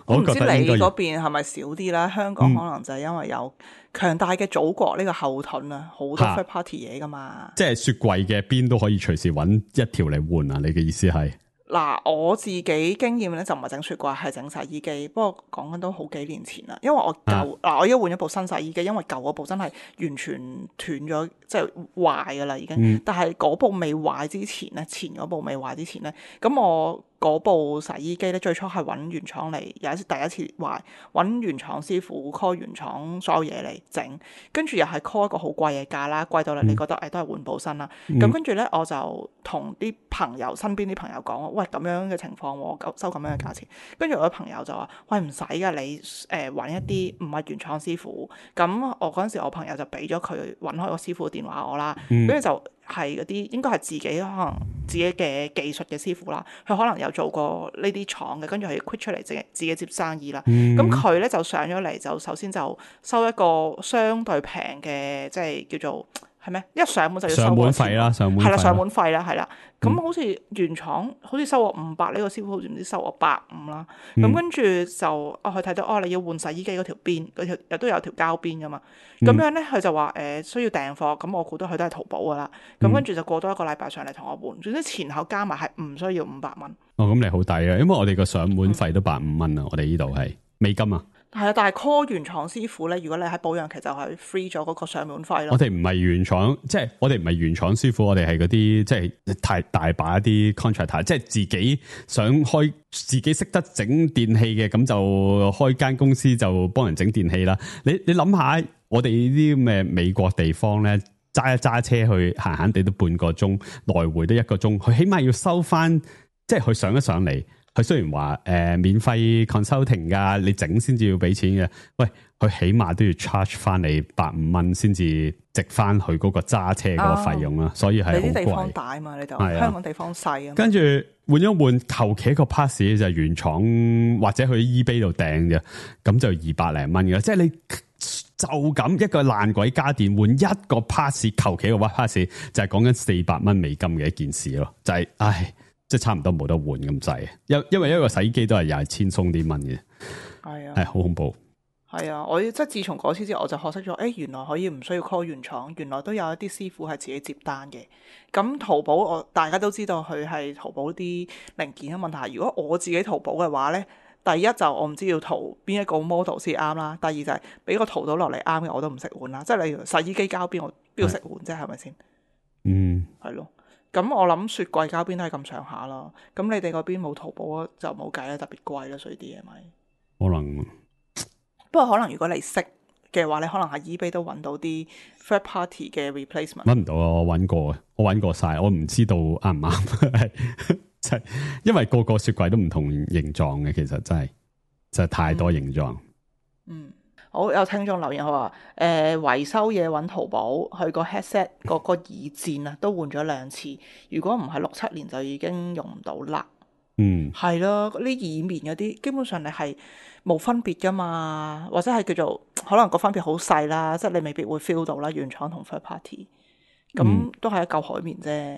D: 我唔知你嗰邊係咪少啲啦？香港可能就係因為有強大嘅祖國呢個後盾啊，好多 third party 嘢噶嘛。
E: 即係雪櫃嘅邊都可以隨時揾一條嚟換啊！你嘅意思係？
D: 嗱，我自己經驗咧就唔係整雪櫃，係整洗衣機。不過講緊都好幾年前啦，因為我我而家換咗部新洗衣機，因為舊嗰部真係完全斷咗，即係壞噶啦已經。但係嗰部未壞之前咧，前嗰部未壞之前咧，咁我嗰部洗衣機咧最初係揾原廠嚟，有一次第一次壞，揾原廠師傅 call 原廠所有嘢嚟整，跟住又係 call 一個好貴嘅價啦，貴到你覺得都係換部新啦。咁跟住咧我就同啲朋友身邊啲朋友講，喂，咁樣嘅情況我收咁樣嘅價錢，跟住我嘅朋友就話，喂，唔使噶，你揾一啲唔係原廠師傅。咁我嗰陣時我朋友就俾咗佢揾開個師傅嘅電話我啦，跟住就係嗰啲應該係自己可能自己嘅技術嘅師傅啦，佢可能有做過呢啲廠嘅，跟住佢 quit 出嚟自己接生意啦。咁佢咧就上咗嚟，就首先就收一個相對平嘅，即係叫做係咩？一上門就要收
E: 上門費啦，上門
D: 費啦，係啦。咁好似原廠好似收我500，呢個師傅好似唔知收我150啦。咁跟住就佢睇到你要換洗衣機嗰條邊，嗰條都有條膠邊噶嘛。咁樣咧佢就話需要訂貨，咁我估到佢都係淘寶噶啦。咁跟住就過多1個禮拜上嚟同我換，總之前後加埋係唔需要500蚊。
E: 哦，咁你好抵啊，因為我哋個上門費都150蚊啊，我哋呢度係美金啊。
D: 係啊，但係 call 原廠師傅咧，如果你喺保養期就係 free 咗嗰個上門費咯。
E: 我哋唔係原廠，即係我哋唔係原廠師傅，我哋係嗰啲即係太大把一啲 contractor，即係自己想開，自己識得整電器嘅，咁就開間公司就幫人整電器啦。你諗下，我哋呢啲咩美國地方咧，揸車去閒閒地都半個鐘，來回都1個鐘，佢起碼要收翻，即係佢上一上嚟。佢雖然話免費 consulting 噶，你整先至要俾錢嘅。喂，佢起碼都要 charge 翻你150蚊先至值翻佢嗰個揸車嗰個費用啦，所以係好貴。
D: 你啲地方大嘛，你就香港地方細啊。
E: 跟住換一換，求其一個 pass 就係原廠或者去 eBay 度訂啫，咁就200零蚊嘅。即係你就咁一個爛鬼家電換一個 pass， 求其個 pass 就係講緊400蚊美金嘅一件事咯，就係唉。即係差唔多冇得換咁滯，因為一個洗衣機都係又係千鬆啲蚊嘅，
D: 係啊，
E: 係好恐怖。
D: 係啊，我即係自從嗰次之後，我就學識咗，原來可以唔需要 call 原廠，原來都有一啲師傅係自己接單嘅。咁淘寶大家都知道佢係淘寶啲零件嘅問題。如果我自己淘寶嘅話咧，第一就我唔知要淘邊一個 model 先啱啦，第二就係俾個淘到落嚟啱嘅我都唔識換啦。即係例如洗衣機膠邊我邊度識換啫，係咪先？
E: 嗯，係
D: 咯。咁我諗雪櫃膠邊都係咁上下啦，咁你哋嗰邊冇淘寶就冇計啦，特別貴啦，所以啲嘢咪
E: 可能。
D: 不過可能如果你識嘅話，你可能喺 eBay 都揾到啲 third party 嘅 replacement。
E: 揾唔到啊！我揾過晒，我唔知道啱唔啱。即係因為個雪櫃都唔同形狀嘅，其實真係太多形狀。
D: 好，有聽眾留言佢話維修嘢揾淘寶，佢個 headset 個耳墊啊都換咗2次，如果唔係6-7年就已經用唔到啦。係咯，啲耳棉嗰啲基本上你係冇分別噶嘛，或者係叫做可能個分別好細啦，即係你未必會 feel 到啦，原廠同 third party 咁都係一嚿海綿啫。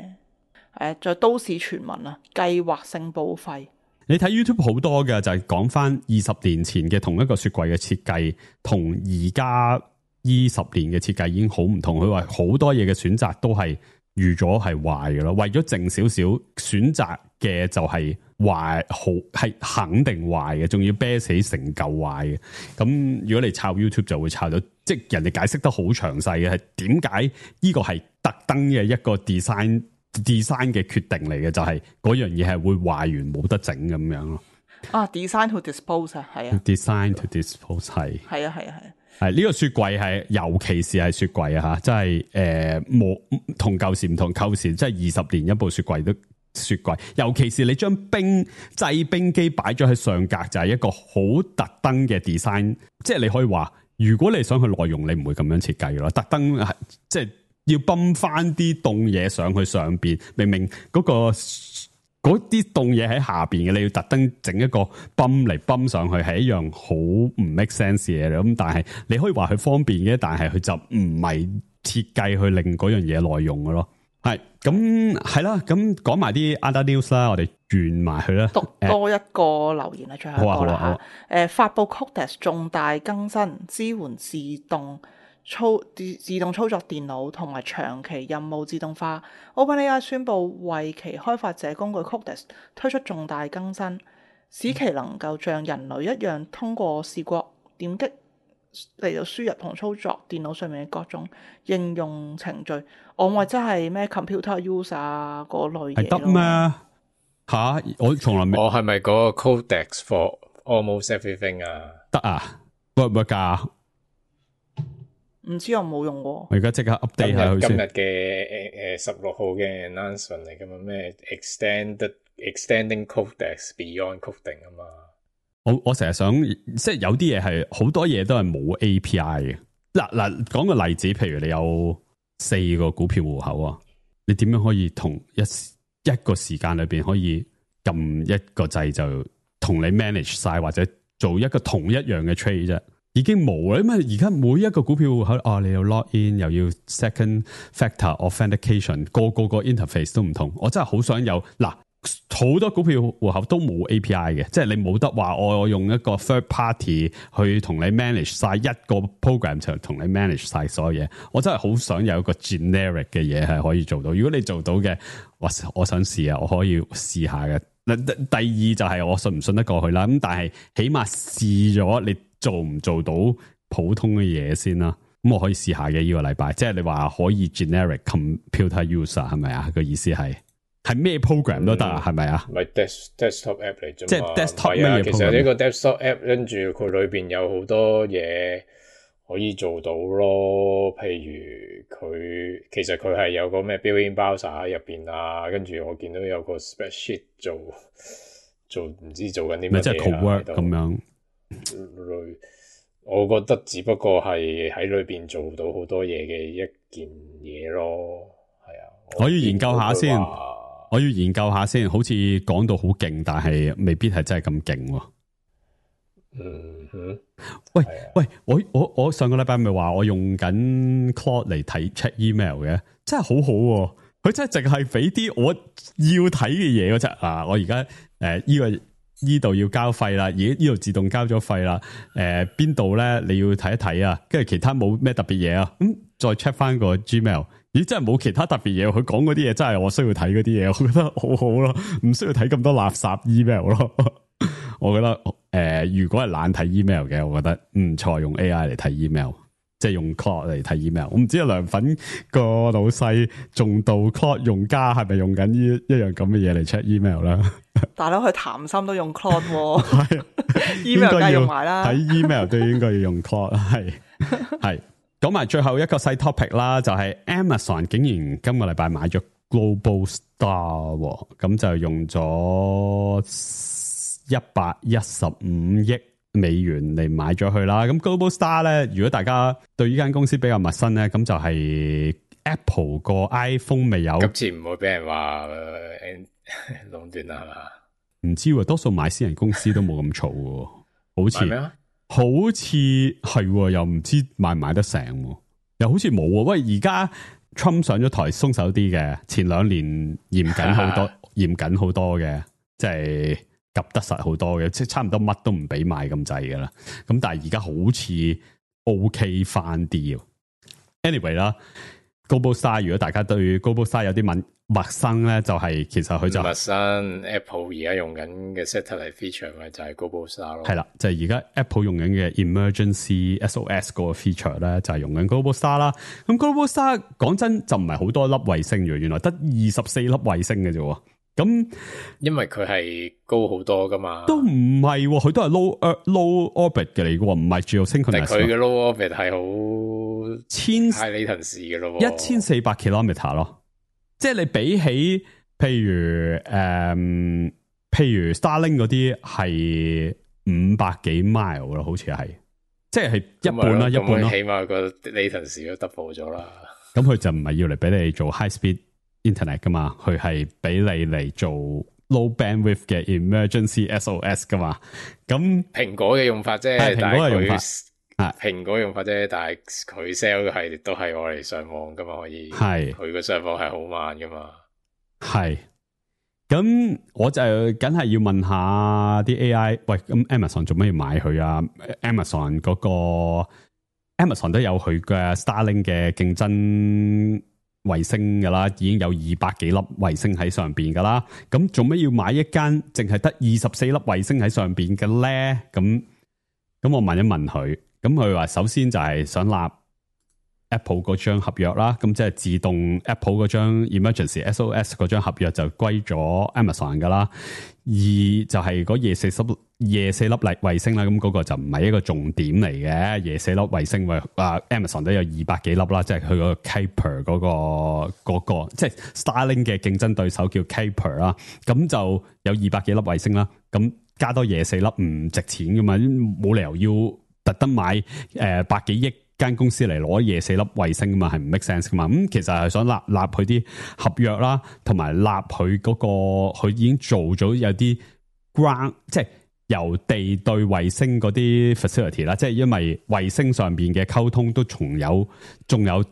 D: 再都市傳聞啊，計劃性報廢。
E: 你睇 YouTube 好多嘅就係講翻20年前嘅同一個雪櫃嘅設計，同而家20年嘅設計已經好唔同。佢話好多嘢嘅選擇都係預咗係壞嘅咯，為咗剩少少選擇嘅就係壞，好係肯定壞嘅，仲要啤死成嚿壞嘅。咁如果你抄 YouTube 就會抄到，即係人哋解釋得好詳細嘅，係點解呢個係特登嘅一個 design 嘅決定嚟嘅，就係嗰樣嘢係會壞完冇得整咁樣咯。
D: design to dispose 啊，係啊
E: ，design to dispose 係
D: 啊。
E: 係呢個雪櫃係，尤其是係雪櫃啊吓，真係冇同舊時唔同，舊時即係20年一部雪櫃都雪櫃，尤其是你將製冰機擺咗喺上格，就係一個好特登嘅 design， 即係你可以話，如果你想去內容，你唔會咁樣設計嘅咯，特登係即係要泵翻啲凍嘢上去上邊，明明嗰啲凍嘢喺下邊嘅，你要特登整一個泵嚟泵上去，係一樣好唔 make sense 嘅嘢。咁但係你可以話佢方便嘅，但係佢就唔係設計去令嗰樣嘢內用嘅咯。係咁係啦，咁講埋啲 other news 啦，我哋完埋佢啦。
D: 讀多一個留言啦，最後一個啦嚇。發布 Codex 重大更新，支援自動操作電腦同埋長期任務自動化。OpenAI 宣布為其開發者工具 Codex 推出重大更新，使其能夠像人類一樣通過視覺點擊嚟到輸入同操作電腦上面嘅各種應用程序。我咪真係咩 computer use 啊嗰類嘢咯。係得咩？
E: 吓，我從來未。
C: 我係咪嗰個 Codex for almost everything 啊？
E: 得啊，會唔會㗎？
D: 唔知我冇用過。
E: 我而家即刻 update 下佢先。
C: 今日嘅16號嘅 announcement 嚟㗎嘛？咩 extending Codex beyond coding 啊嘛？
E: 我成日想，即係有啲嘢係好多嘢都係冇 API 嘅。嗱，講個例子，譬如你有4個股票戶口啊，你點樣可以同一個時間裏邊可以撳一個掣就同你 manage 晒，或者做一個同一樣嘅 trade 啫？已經冇啦，因為而家每一個股票戶口你要 log in，又要 second factor authentication，個 interface 都唔同。我真係好想有好多股票戶口都冇 API 嘅，即係你冇得話我用一個 third party 去同你 manage 晒一個 program 就同你 manage 晒所有嘢。我真係好想有一個 generic 嘅嘢係可以做到。如果你做到嘅，我想試啊，我可以試下嘅。第二就係我信唔信得過去啦。咁但係起碼試咗，你做唔做到普通嘅嘢先啦。咁我可以試下嘅呢個禮拜。即係你話可以 generic computer user 係咪啊？個意思係咩 program 都得啊？係咪啊？
C: 唔係 desktop app 嚟啫嘛。
E: 即係 desktop 咩嘢 program？
C: 其實呢個 desktop app 跟住佢裏邊有好多嘢可以做到咯。譬如其實佢係有個咩 built-in browser 喺入邊啊，跟住我見到有個 spreadsheet 做唔知做緊啲乜嘢
E: 咪即係 co-work 咁樣。
C: 我覺得只不過係喺裏邊做到好多嘢嘅一件嘢咯，係啊。
E: 我要研究下先，我要研究下先，好似講到好勁，但係未必係真係咁勁喎。
C: 嗯哼，
E: 喂，我上個禮拜咪話我用緊 Claude 嚟睇 check email 嘅，真係好好喎。佢真係淨係俾啲我要睇嘅嘢嗰隻啊！我而家呢度要交費啦，而呢度自動交咗費啦。邊度咧你要睇一睇啊？跟住其他冇咩特別嘢啊？再 check 翻個 Gmail， 咦真係冇其他特別嘢。佢講嗰啲嘢真係我需要睇嗰啲嘢，我覺得好好咯，唔需要睇咁多垃圾 email 咯。我覺得如果係懶睇 email 嘅，我覺得唔錯，用 AI 嚟睇 email。即係用 Claude 嚟睇 email， 我唔知阿涼粉個老細重度 Claude 用家係咪用緊呢一樣咁嘅嘢嚟 check email 啦？
D: 大佬佢談心都用 Claude 喎，email 梗係用埋啦。
E: 睇 email 都應該要用 Claude， 係。講埋最後一個細 topic 啦，就係 Amazon 竟然今個禮拜買咗 Global Star， 咁就用咗115億美元嚟買咗佢啦，咁 Global Star 咧，如果大家對呢間公司比較陌生咧，咁就係 Apple 個 iPhone 未有，
C: 今次唔會俾人話壟斷啦，係嘛？
E: 唔知喎，多數買私人公司都冇咁嘈喎，好似係又唔知買唔買得成，又好似冇喎。喂，而家 Trump 上咗台鬆手啲嘅，前2年嚴謹好多，嚴謹好多嘅，即係。及得實好多嘅，即係差唔多乜都唔俾買咁滯噶啦。咁但係而家好似 OK 翻啲。Anyway 啦 ，Global Star 如果大家對 Global Star 有啲陌生咧，就係其實佢就
C: 陌生。Apple 而家用緊嘅 satellite feature 咪就係 Global Star 咯。
E: 係啦，就係而家 Apple 用緊嘅 Emergency SOS 嗰個 feature 咧，就係用緊 Global Star 啦。咁 Global Star 講真就唔係好多粒衛星嘅，原來得24粒衛星嘅啫。咁，因
C: 為佢係高好多噶嘛，
E: 都唔係，佢都係 low orbit 嘅嚟嘅，唔係 geosynchronous。但係佢
C: 嘅 low orbit 係好high latency嘅咯
E: ，1400 kilometer 咯。即係你比起譬如 Starlink 嗰啲係500幾 mile 咯，好似係，即係一半啦，一半咯。
C: 起碼個 latency 都 double 咗啦。
E: 咁佢就唔係要嚟俾你做 high speed internet 噶嘛，佢係俾你嚟做 low bandwidth 嘅 emergency SOS 噶嘛。咁
C: 蘋果嘅用法啫，
E: 蘋果嘅用法，
C: 蘋果用法啫，但係佢 sell 嘅係都係我嚟上網噶嘛，可以係佢個上網係好慢噶嘛。係，咁我就梗係要問下啲 AI， 喂，咁 Amazon 做咩要買佢啊 ？Amazon 嗰個 Amazon 都有佢嘅 Starlink 嘅競爭衛星噶啦，已經有200幾粒衛星喺上邊噶啦，咁做咩要買一間淨係得24粒衛星喺上邊嘅咧？咁我問一問佢，咁佢話首先就係想立 Apple 嗰張合約啦，咁即係自動 Apple 嗰張 Emergency SOS 嗰張合約就歸咗 Amazon 噶啦。二就係嗰夜四粒衛星啦，咁嗰個就唔係一個重點嚟嘅。夜四粒衛星Amazon 都有200幾粒啦，即係佢個 Kuiper 嗰個即係 Starlink 嘅競爭對手叫 Kuiper 啦，咁就有200幾粒衛星啦，咁加多夜四粒唔值錢噶嘛，冇理由要特登買百幾億間公司嚟攞夜四粒衛星噶嘛，係唔 make sense 噶嘛。咁其實係想立佢啲合約啦，同埋立佢嗰個佢已經做咗有啲 ground， 即係由地對衛星嗰啲 facility 啦，即係因為衛星上邊嘅溝通都仲有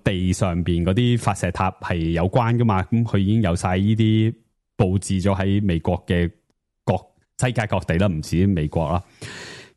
C: 地上邊嗰啲發射塔係有關噶嘛。咁佢已經有晒呢啲佈置咗喺美國嘅世界各地啦，唔止美國啦。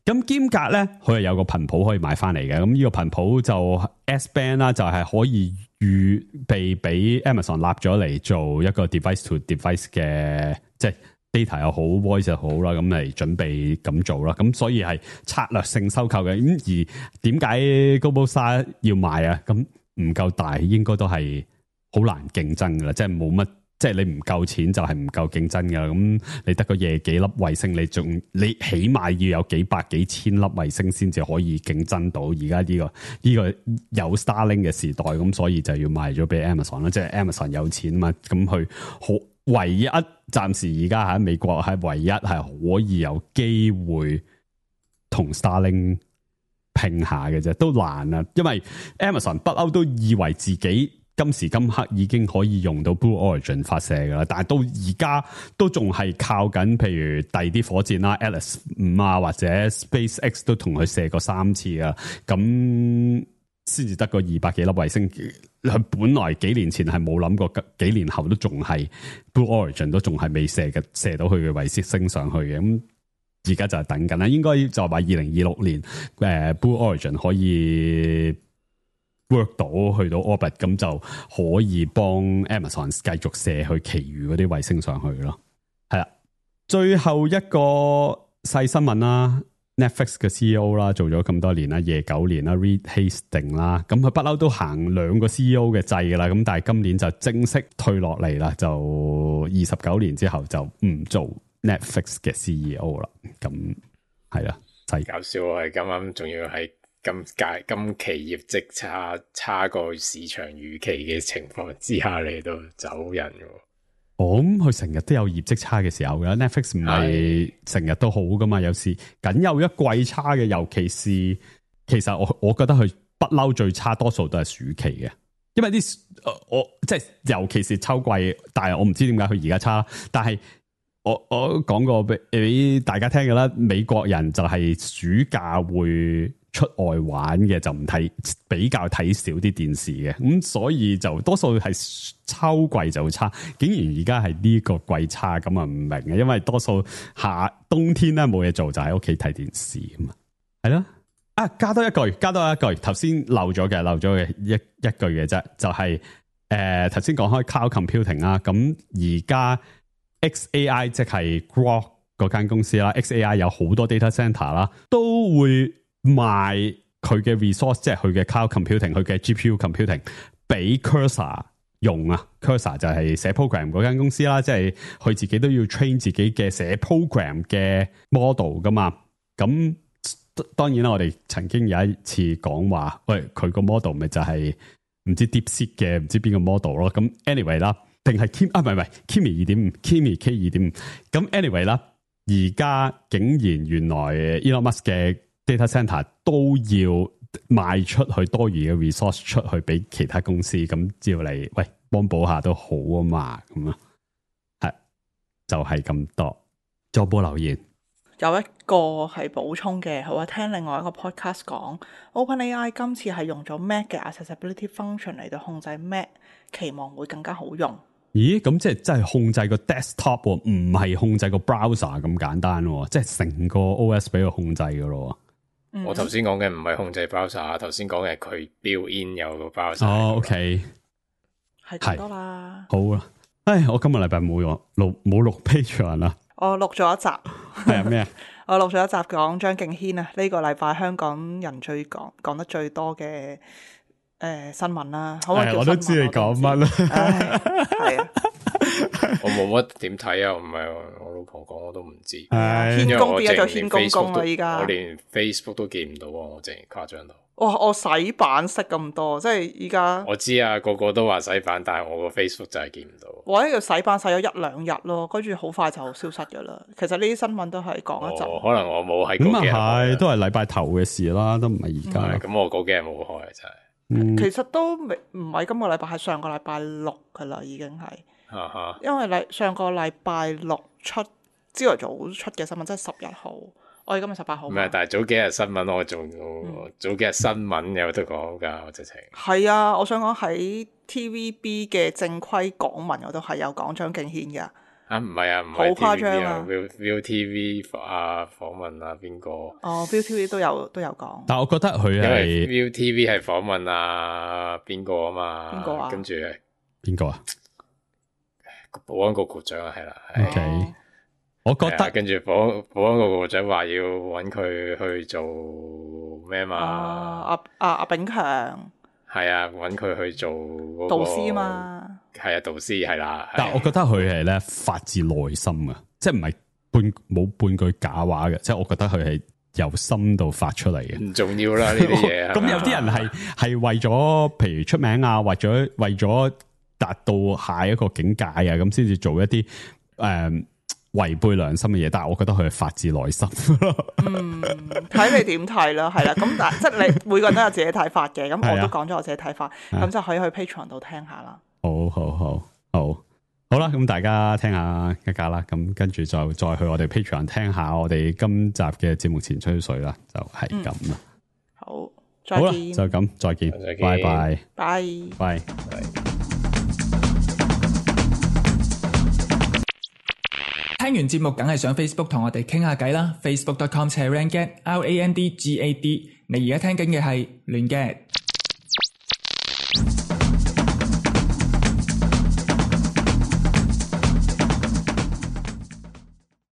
C: 咁兼隔咧，佢係有個頻譜可以買翻嚟嘅。咁呢個頻譜就 S-band 啦，就係可以預備俾 Amazon 立咗嚟做一個 device to device 嘅，即係 data 又好 voice 又好啦，咁嚟準備咁做啦。咁所以係策略性收購嘅。咁而點解 Global Star 要買啊？咁唔夠大，應該都係好難競爭噶啦，即係冇乜。即係你唔夠錢就係唔夠競爭㗎，咁你得個夜幾粒衛星，你起碼要有幾百幾千粒衛星先至可以競爭到而家呢個有 Starlink 嘅時代，咁所以就要賣咗俾 Amazon 啦，即係 Amazon 有錢嘛，咁佢好
E: 唯一暫時而家喺美國係唯一係可以有機會同 Starlink 拼下嘅啫，都難啊！因為 Amazon 不嬲都以為自己今時今刻已經可以用到 Blue Origin 發射噶啦，但係到而家都仲係靠緊，譬如第二啲火箭啦 Atlas 5啊，或者 SpaceX 都同佢射過3次啊，咁先至得個200幾粒衛星。佢本來幾年前係冇諗過，幾年後都仲係 Blue Origin 都仲係未射到佢嘅衛星升上去嘅。咁而家就係等緊啦，應該就係話2026年Blue Origin 可以 work 到去到 orbit， 咁就可以幫 Amazon 繼續射去其餘嗰啲衛星上去咯。係啦，最後一個細新聞啦。Netflix 嘅 CEO 啦，做咗咁多年啦，夜9年啦 ，Reed Hastings 啦，咁佢不嬲都行2個 CEO 嘅制噶啦，咁但係今年就正式退落嚟啦，就29年之後就唔做 Netflix 嘅 CEO 啦，咁係啦，
C: 搞笑係咁啱，仲要係今期業績差過市場預期嘅情況之下嚟到走人嘅。
E: 咁佢成日都有業績差嘅時候嘅 Netflix 唔係成日都好噶嘛，有時僅有一季差嘅，尤其是其實我覺得佢不嬲最差多數都係暑期嘅，因為啲我即係尤其是秋季，但係我唔知點解佢而家差，但係我講過俾大家聽嘅啦，美國人就係暑假會出外玩嘅，就唔睇，比較睇少啲電視嘅，咁所以就多數係秋季就差，竟然而家係呢個季差，咁啊唔明嘅，因為多數冬天咧冇嘢做，就喺屋企睇電視咁啊，係咯，加多一句，頭先漏咗嘅一句嘅啫，就係頭先講開 cloud computing 啦，咁而家 XAI 即係 Grok 嗰間公司啦 ，XAI 有好多 data center 啦，都會賣佢嘅 resource， 即係佢嘅 cloud computing， 佢嘅 GPU computing 俾 Cursor 用啊。Cursor 就係寫 program 嗰間公司啦，即係佢自己都要 train 自己嘅寫 program 嘅 model 噶嘛。咁當然啦，我哋曾經有一次講話，喂，佢個 model 咪就係唔知 DeepSeek 嘅唔知邊個 model 咯。咁 anyway 啦，定係 Kimi 2.5 Kimi K 2.5。咁 anyway 啦，而家竟然原來 Elon Musk 嘅data center 都要賣出去多餘嘅 resource 出去俾其他公司，咁照嚟喂幫補下都好啊嘛，咁啊係就係咁多。再播留言
D: 有一個係補充嘅，我聽另外一個 podcast 講 OpenAI 今次係用咗 Mac 嘅 accessibility function 嚟到控制 Mac， 期望會更加好用。
E: 咦，咁即係真係控制個 desktop， 唔係控制個 browser 咁簡單，即係成個 OS 俾佢控制噶咯。
C: 我頭先講嘅唔係控制 browser， 頭先講嘅佢 build in 有個 browser。哦
E: ，OK，
D: 係咁多啦。
E: 好啦，唉，我今個禮拜冇錄 Patreon 啦。
D: 我錄咗一集。
E: 係啊，咩啊？
D: 我錄咗一集講張敬軒啊，呢個禮拜香港人講得最多嘅新聞啦。好啊，
E: 我都知你講乜啦。
D: 係啊。
C: 我冇乜點睇啊，唔係我老婆講我都唔知。
D: 軒公變咗做軒公公啦，依家
C: 我連 Facebook 都見唔到，我淨係誇張到。
D: 哇！我洗版識咁多，即係依家。
C: 我知啊，個個都話洗版，但係我個 Facebook 就係見唔到。
D: 我呢個洗版洗咗1-2日咯，跟住好快就消失噶啦。其實呢啲新聞都係講一陣。
C: 可能我冇喺嗰幾日。
E: 咁啊係，都係禮拜頭嘅事啦，都唔係而家。
C: 咁我嗰幾日冇開真係。
D: 其實都唔係今個禮拜，係上個禮拜6噶啦，已經係。因為上個禮拜6出朝頭早出嘅新聞，即係10日號。我哋今日18號。唔係，
C: 但係早幾日新聞我仲早幾日新聞有得講㗎，我直情。係
D: 啊，我想講喺 TVB 嘅正規港聞我都係有講張敬軒㗎。唔係啊，唔係。好誇張啊
C: ！ViuTV 訪問啊，邊個？
D: 哦 ，ViuTV 都有講。
E: 但係我覺得佢係
C: ViuTV 係訪問啊邊個啊嘛？邊個啊？跟住
E: 邊個啊？
C: 保安局局長啊，係啦。
E: OK。我覺得
C: 跟住保安局局長話要揾佢去做咩嘛？
D: 阿炳強
C: 係啊，揾佢去做嗰個
D: 導師嘛？
C: 係啊，導師係啦。
E: 但係我覺得佢係咧發自內心啊，即係唔係冇半句假話嘅，即係我覺得佢係由心度發出嚟嘅。
C: 唔重要啦呢啲嘢。
E: 咁有啲人係為咗譬如出名啊，為咗達到下一個境界啊，咁先至做一啲違背良心嘅嘢。但係我覺得佢係發自內心。
D: 睇你點睇啦，係啦。咁但即係你每個人都有自己睇法嘅，咁我都講咗我自己睇法，咁就可以去 Patreon 度聽下啦。
E: 好啦，咁大家聽下一家啦，咁跟住就再去我哋 Patreon 聽下我哋今集嘅節目前吹水啦，就係咁啦。
D: 好，再見。
E: 好啦，就咁，再見，拜拜，拜。
F: 聽完節目梗係上 Facebook 同我哋傾下偈啦 ，Facebook.com/randgad，RANDGAD。你而家聽緊嘅係亂嘅